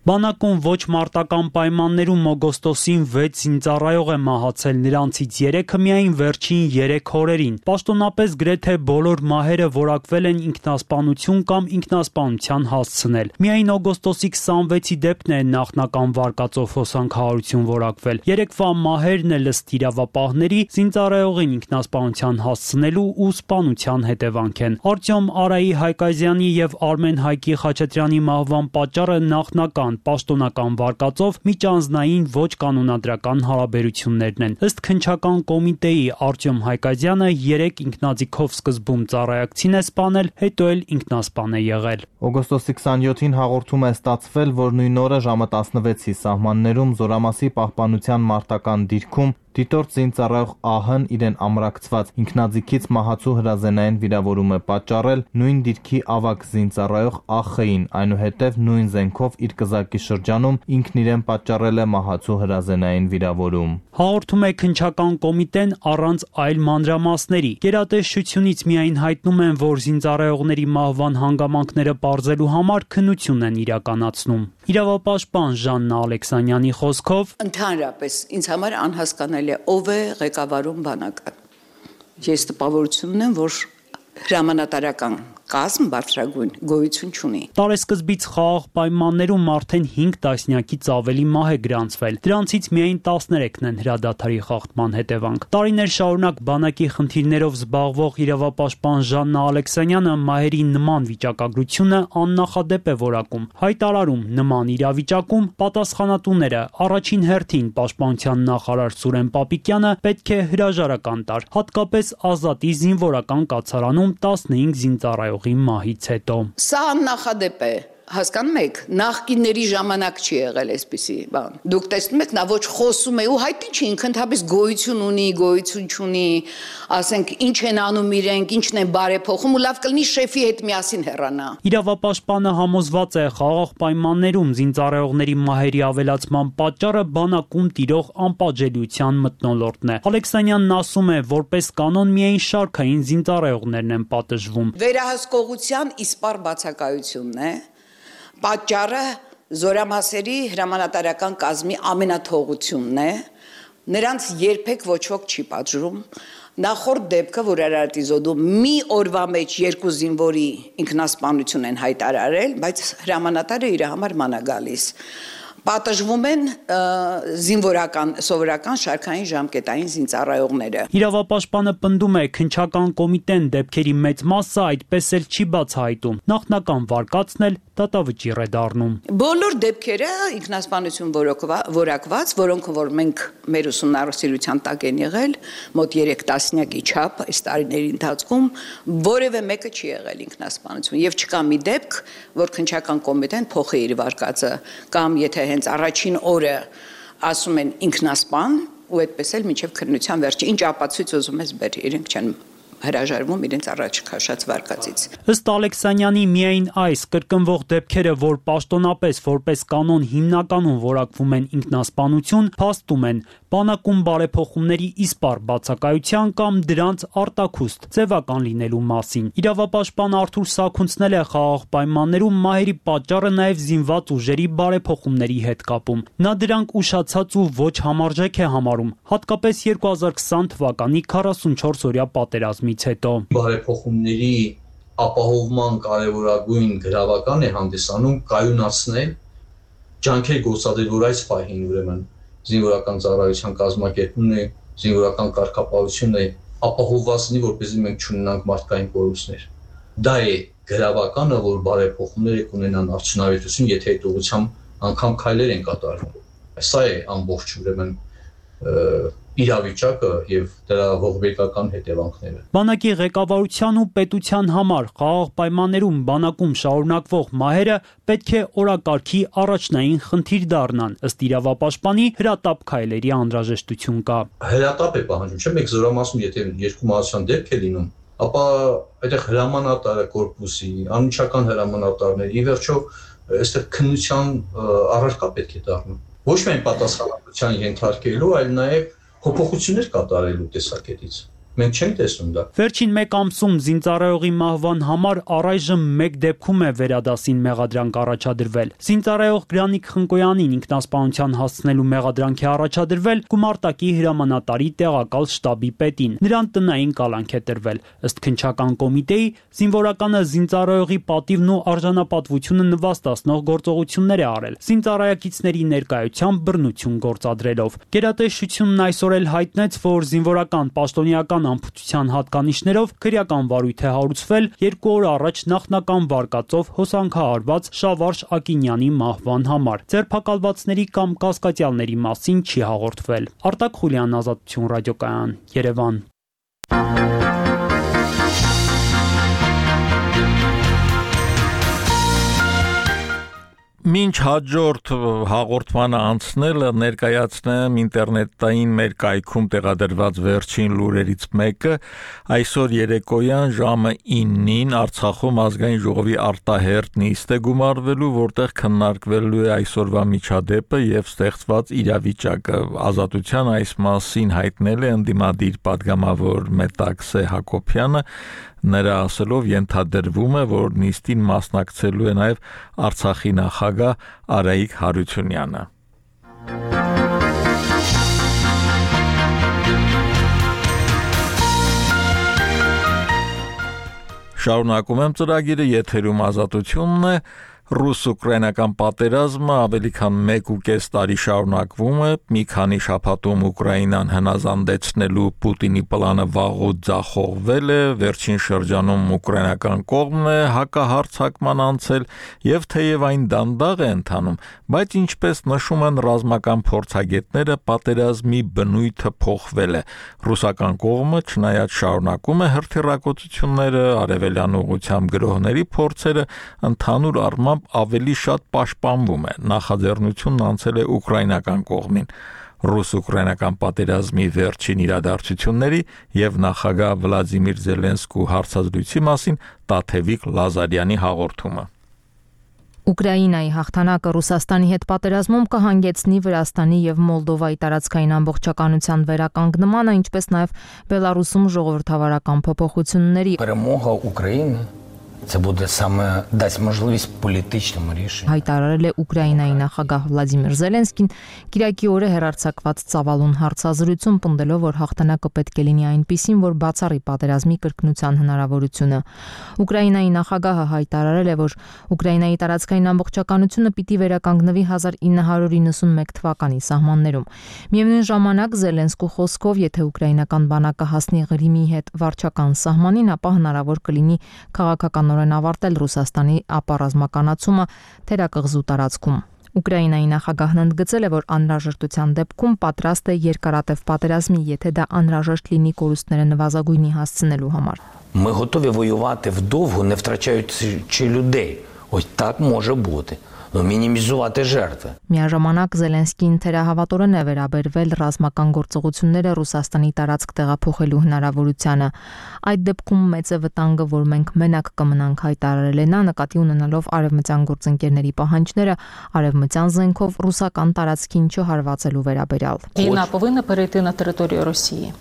Բանակում ոչ մարտական պայմաններում օգոստոսին վեց զինծառայող է մահացել, նրանցից երեքը միայն վերջին երեք օրերին։ Պաշտոնապես գրեթե բոլոր մահերը որակվել են ինքնասպանություն կամ ինքնասպանության հասցնել։ Միայն օգոստոսի քսանվեցի դեպքն է նախնական վարկածով հոսանքահարություն որակվել։ Երեկվա մահերն էլ ըստ իրավապահների զինծառայողին ինքնասպանության հասցնելու ու սպանության հետևանք են։ Արտյոմ Արայի Հայկազյանի եւ Արմեն Հայկի Խաչատրյանի մահվան պատճառը նախնական պաշտոնական վարկածով միջանձնային ոչ կանոնադրական հարաբերություններն են։ Ըստ քննչական կոմիտեի Արտյոմ Հայկազյանը երեք ինքնաձիգով սկզբում ծառայակցին է սպանել, հետո էլ ինքնասպան է եղել։ Օգոստոսի քսանյոթին հաղորդում է ստացվել, որ նույն օրը ժամը տասնվեցի սահմաններում Զորամասի պահպանության մարտական դիրքում դիտորդ զինծառայող ԱՀ-ն իրեն ամրակցված ինքնաձիգից մահացու հրազենային վիրավորում է պատճառել նույն դիրքի ավագ զինծառայող ԱԽ-ին, այնուհետև նույն զենքով իր կզակի շրջանում ինքն իրեն պատճառել է մահացու հրազենային վիրավորում։ Հաղորդում է քննչական կոմիտեն առանց այլ մանրամասների։ Գերատեսչությունից միայն հայտնում են, որ զինծառայողների մահվան հանգամանքները պարզելու համար քննություն են իրականացնում։ Իրավապաշտպան Ժաննա Ալեքսանյանի խոսքով ընդհանրապես ինձ համար անհասկանալի է ով է ղեկավարում բանակը։ Ես տպավորություն ունեմ, որ հրամանատարական կազմ բարձրագույն գոյություն չունի։ Տարեսկզբից խաղաղ պայմաններում արդեն հինգ տասնյակից ավելի մահ է գրանցվել։ Դրանցից միայն տասներեքն են հրադադարի խախտման հետևանք։ Տարիներ շարունակ բանակի խնդիրներով զբաղվող իրավապաշտպան Ժաննա Ալեքսանյանը մահերի նման վիճակագրությունը աննախադեպ է որակում։ Հայտարարում նման իրավիճակում պատասխանատուները առաջին հերթին պաշտպանության նախարար Սուրեն Պապիկյանը պետք է հրաժարական տար, հատկապես Ազատի զինվորական կացարանում տասնհինգ զինծառայող մահից հետո։ Սա աննախադեպ է, հասկանում եք, նախկինների ժամանակ չի եղել այսպիսի բան։ Դուք տեսնում եք, նա ոչ խոսում է ու հայտնի չի, ինքը ընդհանրապես գոյություն ունի, գոյություն չունի, ասենք ինչ են անում իրենք, ինչն են բարեփոխում ու լավ կլինի շեֆի հետ միասին հեռանա։ Իրավապաշտպանը համոզված է խաղաղ պայմաններում զինծառայողների մահերի ավելացման պատճառը բանակում տիրող անպատժելիության մթնոլորտն է։ Ալեքսանյանն ասում է, որպես կանոն միայն շարքային զինծառայողներն են պատժվում։ Վերահսկողության իսպառ բացակայությունն է։ Պատճառը զորամասերի հրամանատարական կազմի ամենաթողությունն է, նրանց երբեք ոչ ոք չի պատժում։ Նախորդ դեպքը, որ Արարատի զոդում մի օրվա մեջ երկու զինվորի ինքնասպանություն են հայտարարել, բայց հրամանատարը իր համար ման է գալիս։ Պատժվում են զինվորական սովորական շարքային ժամկետային զինծառայողները։ Իրավապաշտպանը պնդում է, քննչական կոմիտեն դեպքերի մեծ մասը այդպես էլ չի բացահայտում։ Նախնական վարկածն էլ դատավճիռ է դառնում։ Բոլոր դեպքերը ինքնասպանություն որակված, որոնք որ մենք մեր ուսումնառության տակ են եղել, մոտ երեք տասնյակի չափ այս տարիների ընթացքում որևէ մեկը չի եղել ինքնասպանություն եւ չկա մի դեպք, որ քննչական կոմիտեն փոխի իր վարկածը կամ եթե հենց առաջին օրը ասում են ինքնասպան ու այդպես էլ մինչև քննության վերջը ինչ ապացույց ուզում ես բեր, իրենք չեն հրաժարվում իրենց առաջ քաշած վարկածից։ Ըստ Ալեքսանյանի միայն այս կրկնվող դեպքերը, որ պաշտոնապես որպես կանոն հիմնականում որակվում են ինքնասպանություն, փաստում են բանակում բարեփոխումների իսպառ բացակայության կամ դրանց արտաքուստ ձևական լինելու մասին։ Իրավապաշտպան Արթուր Սաքունցն էլ է խաղաղ պայմաններում մահերի պատճառը նաև զինված ուժերի բարեփոխումների հետ կապում։ Նա դրանք ուշացած ու ոչ համարժեք է համարում, հատկապես երկու հազար քսան թվականի քառասունչորս օրյա պատերազմից հետո։ Բարեփոխումների ապահովման կարևորագույն գրավական է հանդիսանում կայունացնել ջանքեր գործադրել, որ այս պահին ուրեմն զինվորական ծառայության կազմակերպումն է զինվորական կարգապահությունը ապահովված լինի, որպեսզի մենք չունենանք մարդկային կորուստներ։ Դա է գրավականը, որ բարեփոխումներ կունենան արդյունավետություն, եթե այդ ուղղությամբ անգամ քայլեր են կատարվում։ Սա է ամբողջ ուրեմն իրավիճակը եւ դրա ողբերգական հետևանքները։ Բանակի ղեկավարության ու պետության համար խաղաղ պայմաններում բանակում շարունակվող մահերը պետք է օրակարգի առաջնային խնդիր դառնան, ըստ իրավապաշտպանի հրատապ քայլերի անհրաժեշտություն կա։ Հրատապ է պահանջում, չէ՞ մեկ զորամասում, եթե երկու մահացան դեպք է լինում, ապա այդտեղ հրամանատարը կորպուսի, անմիջական հրամանատարներ, ի վերջո այստեղ քննության առարկա պետք է դառնում։ Ոչ միայն պատասխանատվության ենթարկելու, այլ նաև փոփոխություններ կատարելու տեսակետից։ Մենք չենք տեսնում դա։ Վերջին մեկ ամսում զինծառայողի մահվան համար առայժմ մեկ դեպքում է վերադասին մեղադրանք առաջադրվել։ Զինծառայող Գրանիկ Խնկոյանին ինքնասպանության հասցնելու մեղադրանք է առաջադրվել գումարտակի հրամանատարի տեղակալ շտաբի պետին։ Նրան տնային կալանք է տրվել։ Ըստ քննչական կոմիտեի, զինվորականը զինծառայողի պատիվն ու արժանապատվությունը նվաստացնող գործողություններ է արել, զինծառայակիցների ներկայությամբ բռնություն գործադրելով։ Գերատեսչությունն այսօր էլ հայտնեց, որ զինվորական պաշտոնյական ամբողջության հատկանիշներով քրեական վարույթ է հարուցվել երկու օր առաջ նախնական վարկածով հոսանքահարված Շավարժ Ակինյանի մահվան համար։ Ձերբակալվածների կամ կասկածյալների մասին չի հաղորդվել։ Արտակ Խուլյան, Ազատություն ռադիոկայան, Երևան։ Մինչ հաջորդ հաղորդմանը անցնելը ներկայացնեմ ինտերնետային մեր կայքում տեղադրված վերջին լուրերից մեկը։ Այսօր երեկոյան ժամը իննին Արցախում ազգային ժողովի արտահերթ նիստ է գումարվելու, որտեղ քննարկվելու է այսօրվա միջադեպը եւ ստեղծված իրավիճակը։ Ազատության այս մասին հայտնել է ընդդիմադիր падգամավոր Մետաքսե Հակոբյանը։ Նրա ասելով ենթադրվում է, որ նիստին մասնակցելու է նաև Արցախի նախագահ Արայիկ Հարությունյանը։ Շարունակում եմ ծրագիրը, եթերում Ազատությունն է։ Ռուս-ուկրաինական պատերազմը ավելի քան մեկ ու կես տարի շարունակվում է, մի քանի շաբաթում Ուկրաինան հնազանդեցնելու Պուտինի պլանը վաղուց ձախողվել է, վերջին շրջանում ուկրաինական կողմն է հակահարձակման անցել եւ թեև այն դանդաղ է ընթանում, բայց ինչպես նշում են ռազմական փորձագետները, պատերազմի բնույթը փոխվել է։ Ռուսական կողմը չնայած շարունակում է հրթիռակոծությունները, արևելյան ուղղությամբ գրոհների փորձերը, ընդհանուր առմամբ ավելի շատ պաշտպանվում է, նախաձեռնությունն անցել է ուկրաինական կողմին։ Ռուս-ուկրաինական պատերազմի վերջին իրադարձությունների եւ նախագահ Վլադիմիր Զելենսկու հարցազրույցի մասին Տաթևիկ Լազարյանի հաղորդումը։ Ուկրաինայի հաղթանակը Ռուսաստանի հետ պատերազմում կհանգեցնի Վրաստանի եւ Մոլդովայի տարածքային ամբողջականության վերականգնմանը, ինչպես նաեւ Բելարուսում ժողովրդավարական փոփոխությունների։ Перемога України Це буде саме дасть можливість політичному рішенню. Հայտարարել է Ուկրաինայի նախագահ Վլադիմիր Զելենսկին Կիրակի օրը հերարցակված ծավալուն հարցազրույցում, պնդելով, որ հաղթանակը պետք է լինի այնպիսին, որ բացառի պատերազմի կրկնության հնարավորությունը։ Ուկրաինայի նախագահը հայտարարել է, որ Ուկրաինայի տարածքային ամբողջականությունը պիտի վերականգնվի հազար ինը հարյուր իննսունմեկ թվականի սահմաններում։ Միևնույն ժամանակ Զելենսկու խոսքով, եթե ուկրաինական բանակը հասնի Ղրիմի հետ վարչական սահմանին, ապա հնարավոր կլինի քաղաքական ավարտել Ռուսաստանի ապառազմականացումը թերակղզու տարածքում։ Ուկրաինայի նախագահն ընդգծել է, որ անհրաժեշտության դեպքում պատրաստ է երկարատև պատերազմի, եթե դա անհրաժեշտ լինի կորուստները նվազագույնի հասցնելու համար։ Ми готові воювати вдовго, не втрачаючи людей. Ось так може бути. Но мінімізувати жертви. Միաժամանակ Զելենսկին թերահավատորեն է վերաբերվել ռազմական գործողությունները Ռուսաստանի տարածք տեղափոխելու հնարավորությանը։ Այդ դեպքում մեծ է վտանգը, որ մենք մենակ կմնանք, հայտարարել է նա, նկատի ունենալով արևմտյան գործընկերների պահանջները արևմտյան զենքով ռուսական տարածքին չհարվածելու վերաբերյալ։ Війна повинна перейти на територію Росії.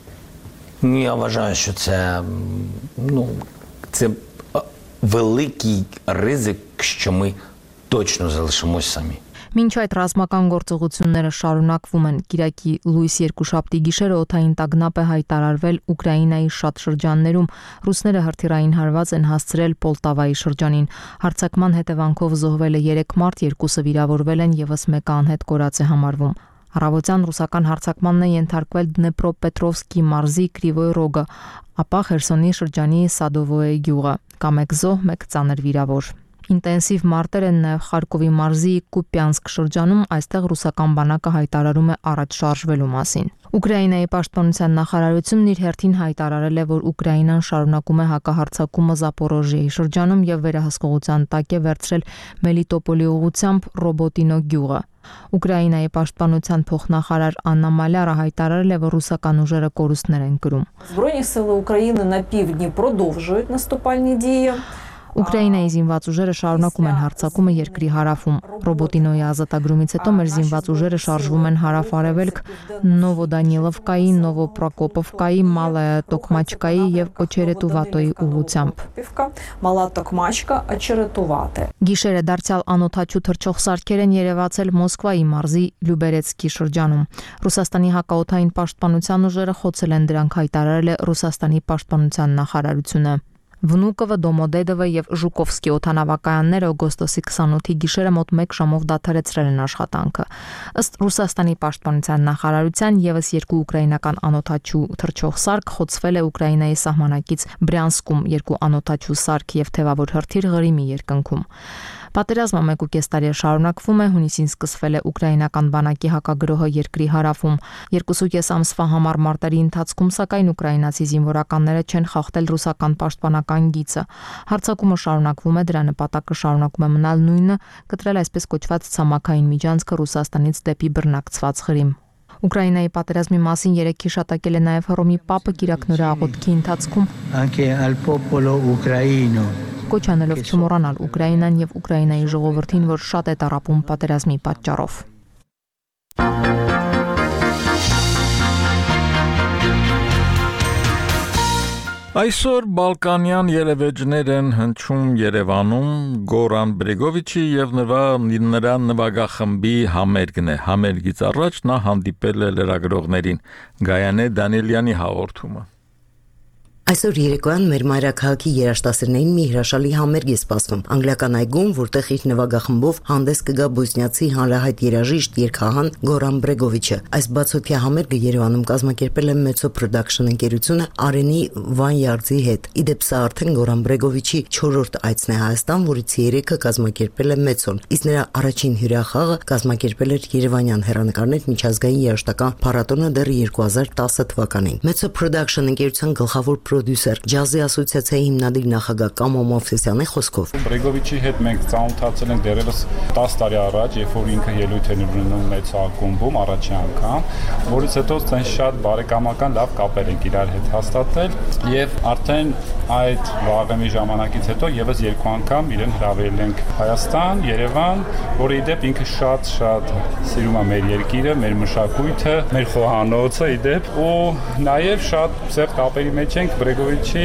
Я вважаю, що це, ну, це великий ризик, що ми точно залишимось самі. Մինչ այդ ռազմական գործողությունները շարունակվում են, Կիրակի լույս երկուշաբթի գիշերը օդային տագնապ է հայտարարվել Ուկրաինայի շատ շրջաններում։ Ռուսները հրթիռային հարված են հասցրել Պոլտավայի շրջանին։ Հարձակման հետևանքով զոհվել է երեք մարդ, երկուսը վիրավորվել են, եւս մեկը անհետ կորած է համարվում։ Առավոտյան ռուսական հարձակմանն է ենթարկվել Դնեպրոպետրովսկի մարզի Կրիվոյ Ռոգը, ապա Խերսոնի շրջանի Սադովոյե գյուղը, կամ մեկ զոհ, մեկ ծանր վիրավոր։ Ինտենսիվ մարտեր են նաև Խարկովի մարզի Կուպյանսկ շրջանում, այստեղ ռուսական բանակը հայտարարում է առաջ շարժվելու մասին։ Ուկրաինայի պաշտպանության նախարարությունն իր հերթին հայտարարել է, որ Ուկրաինան շարունակում է հակահարձակումը Զապորոժիեի շրջանում եւ վերահսկողության տակ է վերցրել Մելիտոպոլի ուղությամբ Ռոբոտինո գյուղը։ Ուկրաինայի պաշտպանության փոխնախարար Աննա Մալյարը հայտարարել է, որ ռուսական ուժերը կորուստներ են կրում։ Збройні сили України на півдні продовжують наступальні дії. Ուկրաինայի զինված ուժերը շարունակում են հարձակումը երկրի հարավում։ Ռոբոտինոյի ազատագրումից հետո մեր զինված ուժերը շարժվում են հարավ-արևելք Նովոդանիլովկայի, Նովոպրոկոպովկայի, Մալայա Տոկմաչկայի եւ Օչերետուվատոյի ուղղությամբ։ Մալա Տոկմաչկա, Օչերետուվատե։ Գիշերը դարձյալ անօթաչու թռչող սարքեր են երևացել Մոսկվայի մարզի Լյուբերեցկի շրջանում։ Ռուսաստանի հակաօդային պաշտպանության ուժերը խոցել են դրանք, հայտարարել է Ռուսաստանի պաշտպանության նախարարությունը։ Վնուկովը, Դոմոդեդովը եւ Ժուկովսկի օդանավակայանները օգոստոսի քսանութի գիշերը մոտ մեկ ժամով դադարեցրել են աշխատանքը։ Ըստ Ռուսաստանի պաշտպանության նախարարության եւս երկու ուկրաինական անօթաչու թռչող սարք խոցվել է Ուկրաինայի սահմանակից Բրյանսկում, երկու անօթաչու սարք եւ թևավոր հրթիռ Ղրիմի երկնքում։ Պատերազմը մեկ ու կես տարի շարունակվում է, հունիսին սկսվել է ուկրաինական բանակի հակագրոհը երկրի հարավում։ Երկուսու կես ամսվա համար մարտերի ընթացքում սակայն ուկրաինացի զինվորականները չեն խախտել ռուսական պաշտպանական գիծը։ Հարձակումը շարունակվում է, դրա նպատակը շարունակում է մնալ նույնը՝ կտրել այսպես կոչված ցամաքային միջանցքը Ռուսաստանից դեպի բռնակցված Ղրիմ։ Ուկրաինայի պատերազմի մասին երեկ հիշատակել է նաև Հռոմի Պապը Կիրակնորի աղոթքի ընթացքում։ Anche al popolo ucraino Կոչ անելով չմոռանալ Ուկրաինան եւ Ուկրաինայի ժողովրդին, որ շատ է տառապում պատերազմի պատճառով։ Այսօր Բալկանյան ելևէջներ են հնչում Երևանում Գորան Բրեգովիչի եւ նրա նվագախմբի համերգն է։ Համերգից առաջ նա հանդիպել է լրագրողներին։ Գայանե Դանիելյանի հաղորդումը։ Այսօր երեկոյան մեր մայրաքաղաքի երաժշտասերներին մի հրաշալի համերգ է սպասվում անգլիական այգում, որտեղ իր նվագախմբով հանդես կգա բոսնիացի հանրահայտ երաժիշտ երգահան Գորան Բրեգովիչը։ Այս բացօթյա համերգը Երևանում կազմակերպել է Մեծո Production ընկերությունը Արենի Վանյարձի հետ։ Իդեպ սա արդեն Գորան Բրեգովիչի չորրորդ այցն է Հայաստան, որից երեքը կազմակերպել է Մեծոն, իսկ նրա առաջին հյուրախաղը կազմակերպել էր Երևանյան հեռանկարներ միջազգային երաժշտական փառատոնը դեռ երկու հազար տասը թվականին։ Մեծո Production ընկերության գլխավոր պրոդյուսեր, ջազի ասոցիացիայի հիմնադիր նախագահ Կամո Մովսեսյանի խոսքով։ Բրեգովիչի հետ մենք ծանոթացել ենք դեռևս տասը տարի առաջ, երբ որ ինքը ելույթ էր ունենում մեծ ակումբում առաջի անգամ, որից հետո ցեն շատ բարեկամական լավ կապեր ենք իրար հետ հաստատել եւ արդեն այդ վաղեմի ժամանակից հետո եւս երկու անգամ իրեն հրավիրել ենք Հայաստան, Երևան, որը իդեպ ինքը շատ-շատ սիրում է մեր երկիրը, մեր մշակույթը, մեր խոհանոցը իդեպ ու նաեւ շատ սեր կապերի մեջ ենք Բրեգովիչի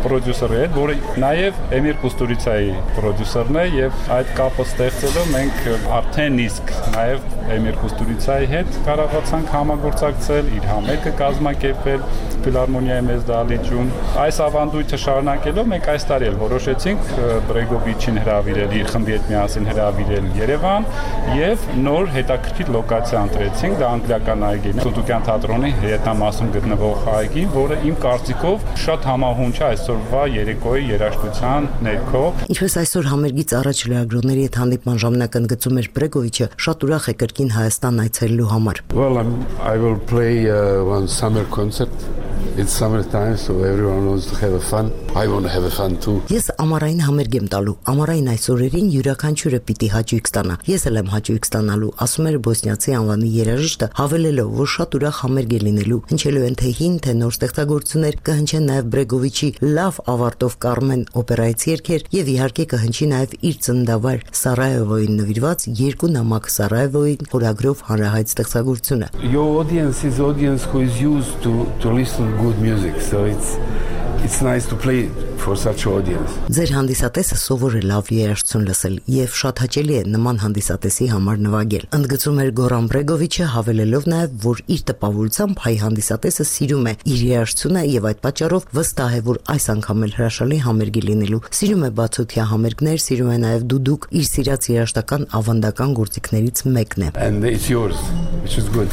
պրոդյուսերի հետ, որը նաև Էմիր Կուստուրիցայի պրոդյուսերն է եւ այդ կապը ստեղծելով մենք արդեն իսկ նաև Էմիր Կուստուրիցայի հետ կարողացանք համագործակցել, իր համերգը կազմակերպել ֆիլհարմոնիայի մեծ դահլիճում։ Այս ավանդույթը շարունակելով մենք այս տարի էլ որոշեցինք Բրեգովիչին հրավիրել, իր խմբի հետ միասին հրավիրել Երևան եւ նոր հետաքրքիր լոկացիա ընտրեցինք, դա անգլիական այգին, Սուտուկյան թատրոնի հետամասում գտնվող այգի, որը իմ կարծիքով շատ համահունչ է այսօրվա երեկոյի երաժշտության ներքո։ Ինչպես այսօր համերգից առաջ լրագրողների հետ հանդիպման ժամանակ ընդգծում էր Բրեգովիչը, շատ ուրախ է կրկին Հայաստան այցելելու համար։ Well, I'm, I will play uh, one summer concert. It's summertime, so everyone wants to have a fun. I want to have a fun too. Ես ամառային համերգ եմ տալու։ Ամառային այս օրերին յուրաքանչյուրը պիտի հաճույք ստանա։ Ես էլ եմ հաճույք ստանալու, ասում էր բոսնիացի անվանի երաժիշտը, հավելելով, որ շատ ուրախ համերգ է լինելու։ Հնչելու են թե հին, թե նոր ստեղծագործություններ, կհնչեն նաև Բրեգովիչի լավ ավարտով Կարմեն օպերայից երգեր եւ իհարկե կհնչի նաև իր ծննդավայր Սարայևոյին նվիրված երկու նամակ Սարայևոյին խորագրով հանրահայտ ստեղծագործությունը։ Your audience is audience who is used to to listen good music, so it's it's nice to play for such audience. Ձեր հանդիսատեսը սովոր է լավ երաժշտություն լսել եւ շատ հաճելի է նման հանդիսատեսի համար նվագել։ Ընդգծում էր Գորան Բրեգովիչը, հավելելով նաեւ, որ իր տպավորությամբ հայ հանդիսատեսը սիրում է իր երաժշտությունը եւ այդ պատճառով վստահ է, որ այս անգամ էլ հրաշալի համերգի լինելու։ Սիրում է բացօթյա համերգներ, սիրում է նաեւ դուդուկ, իր սիրած երաժշտական ավանդական գործիքներից մեկն է։ And it's yours, which is good.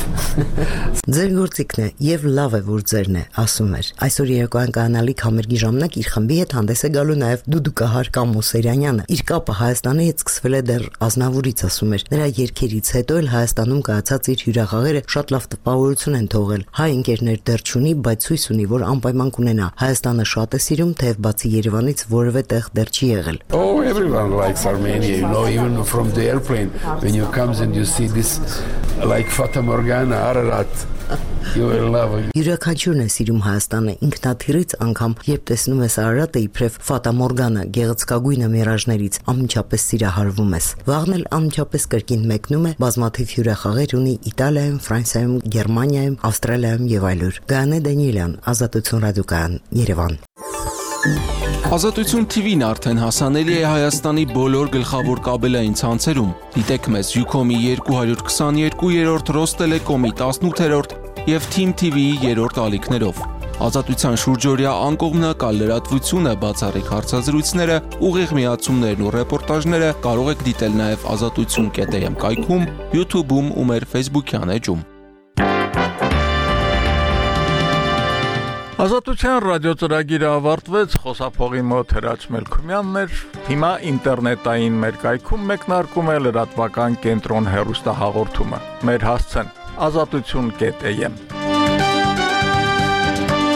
Ձեր գործիքն է եւ լավ է, որ ձերն է, ասում էր։ Այսօր երեկոյան կանալիք համերգի ժամանակ իր խմբի հետ հանդես է գալու նաեւ դուդուկահար Կամո Սերյանյանը։ Իր կապը Հայաստանի հետ սկսվել է դեռ Ազնավուրից, ասում էր։ Նրա երգերից հետո էլ Հայաստանում կայացած իր հյուրախաղերը շատ լավ տպավորություն են թողել։ Հայ ընկերներ դեռ չունի, բայց հույս ունի, որ անպայման կունենա։ Հայաստանը շատ է սիրում, թեև բացի Երևանից որևէ տեղ դեռ չի եղել։ Oh, everyone likes Armenia, you know, even from the airplane when you comes and you see this like Fata Morgana, Ararat. You will love it. Յուրաքանչյուրն է սիրում Հայաստանը, ինքնաթիռից անգամ երբ տեսնում ես Արարատը իբրև Ֆատա Մորգանը, գեղեցկագույնը միրաժներից, անմիջապես սիրահարվում ես։ Վաղն էլ անմիջապես կրկին մեկնում է, բազմաթիվ հյուրախաղեր ունի Իտալիայում, Ֆրանսիայում, Գերմանիայում, Ավստրալիայում եւ այլուր։ Գայանե Դանիելյան, Ազատություն ռադիոկայան, Երևան։ Ազատություն Թի Վին արդեն հասանելի է Հայաստանի բոլոր գլխավոր կաբելային ցանցերում։ Դիտեք մեզ Յուքոմի երկու հարյուր քսաներկու, Ռոստելեկոմի տասնութ եւ Թիմ Թի Վիի երրորդ ալիքներով։ Ազատության շուրջօրյա անկողմնակալ լրատվությունը, բացառիկ հարցազրույցները, ուղիղ միացումներն ու ռեպորտաժները կարող եք դիտել նաեւ ազատություն կետ էմ կայքում, YouTube-ում ու մեր Facebook-յան էջում։ Ազատության ռադիոծրագիրը ավարտվեց, խոսափողի մոտ Հրաչ Մելքումյանն էր, հիմա ինտերնետային մեր կայքում մեկնարկում է լրատվական կենտրոն հեռուստահաղորդումը։ Մեր հասցեն ազատություն կետ էմ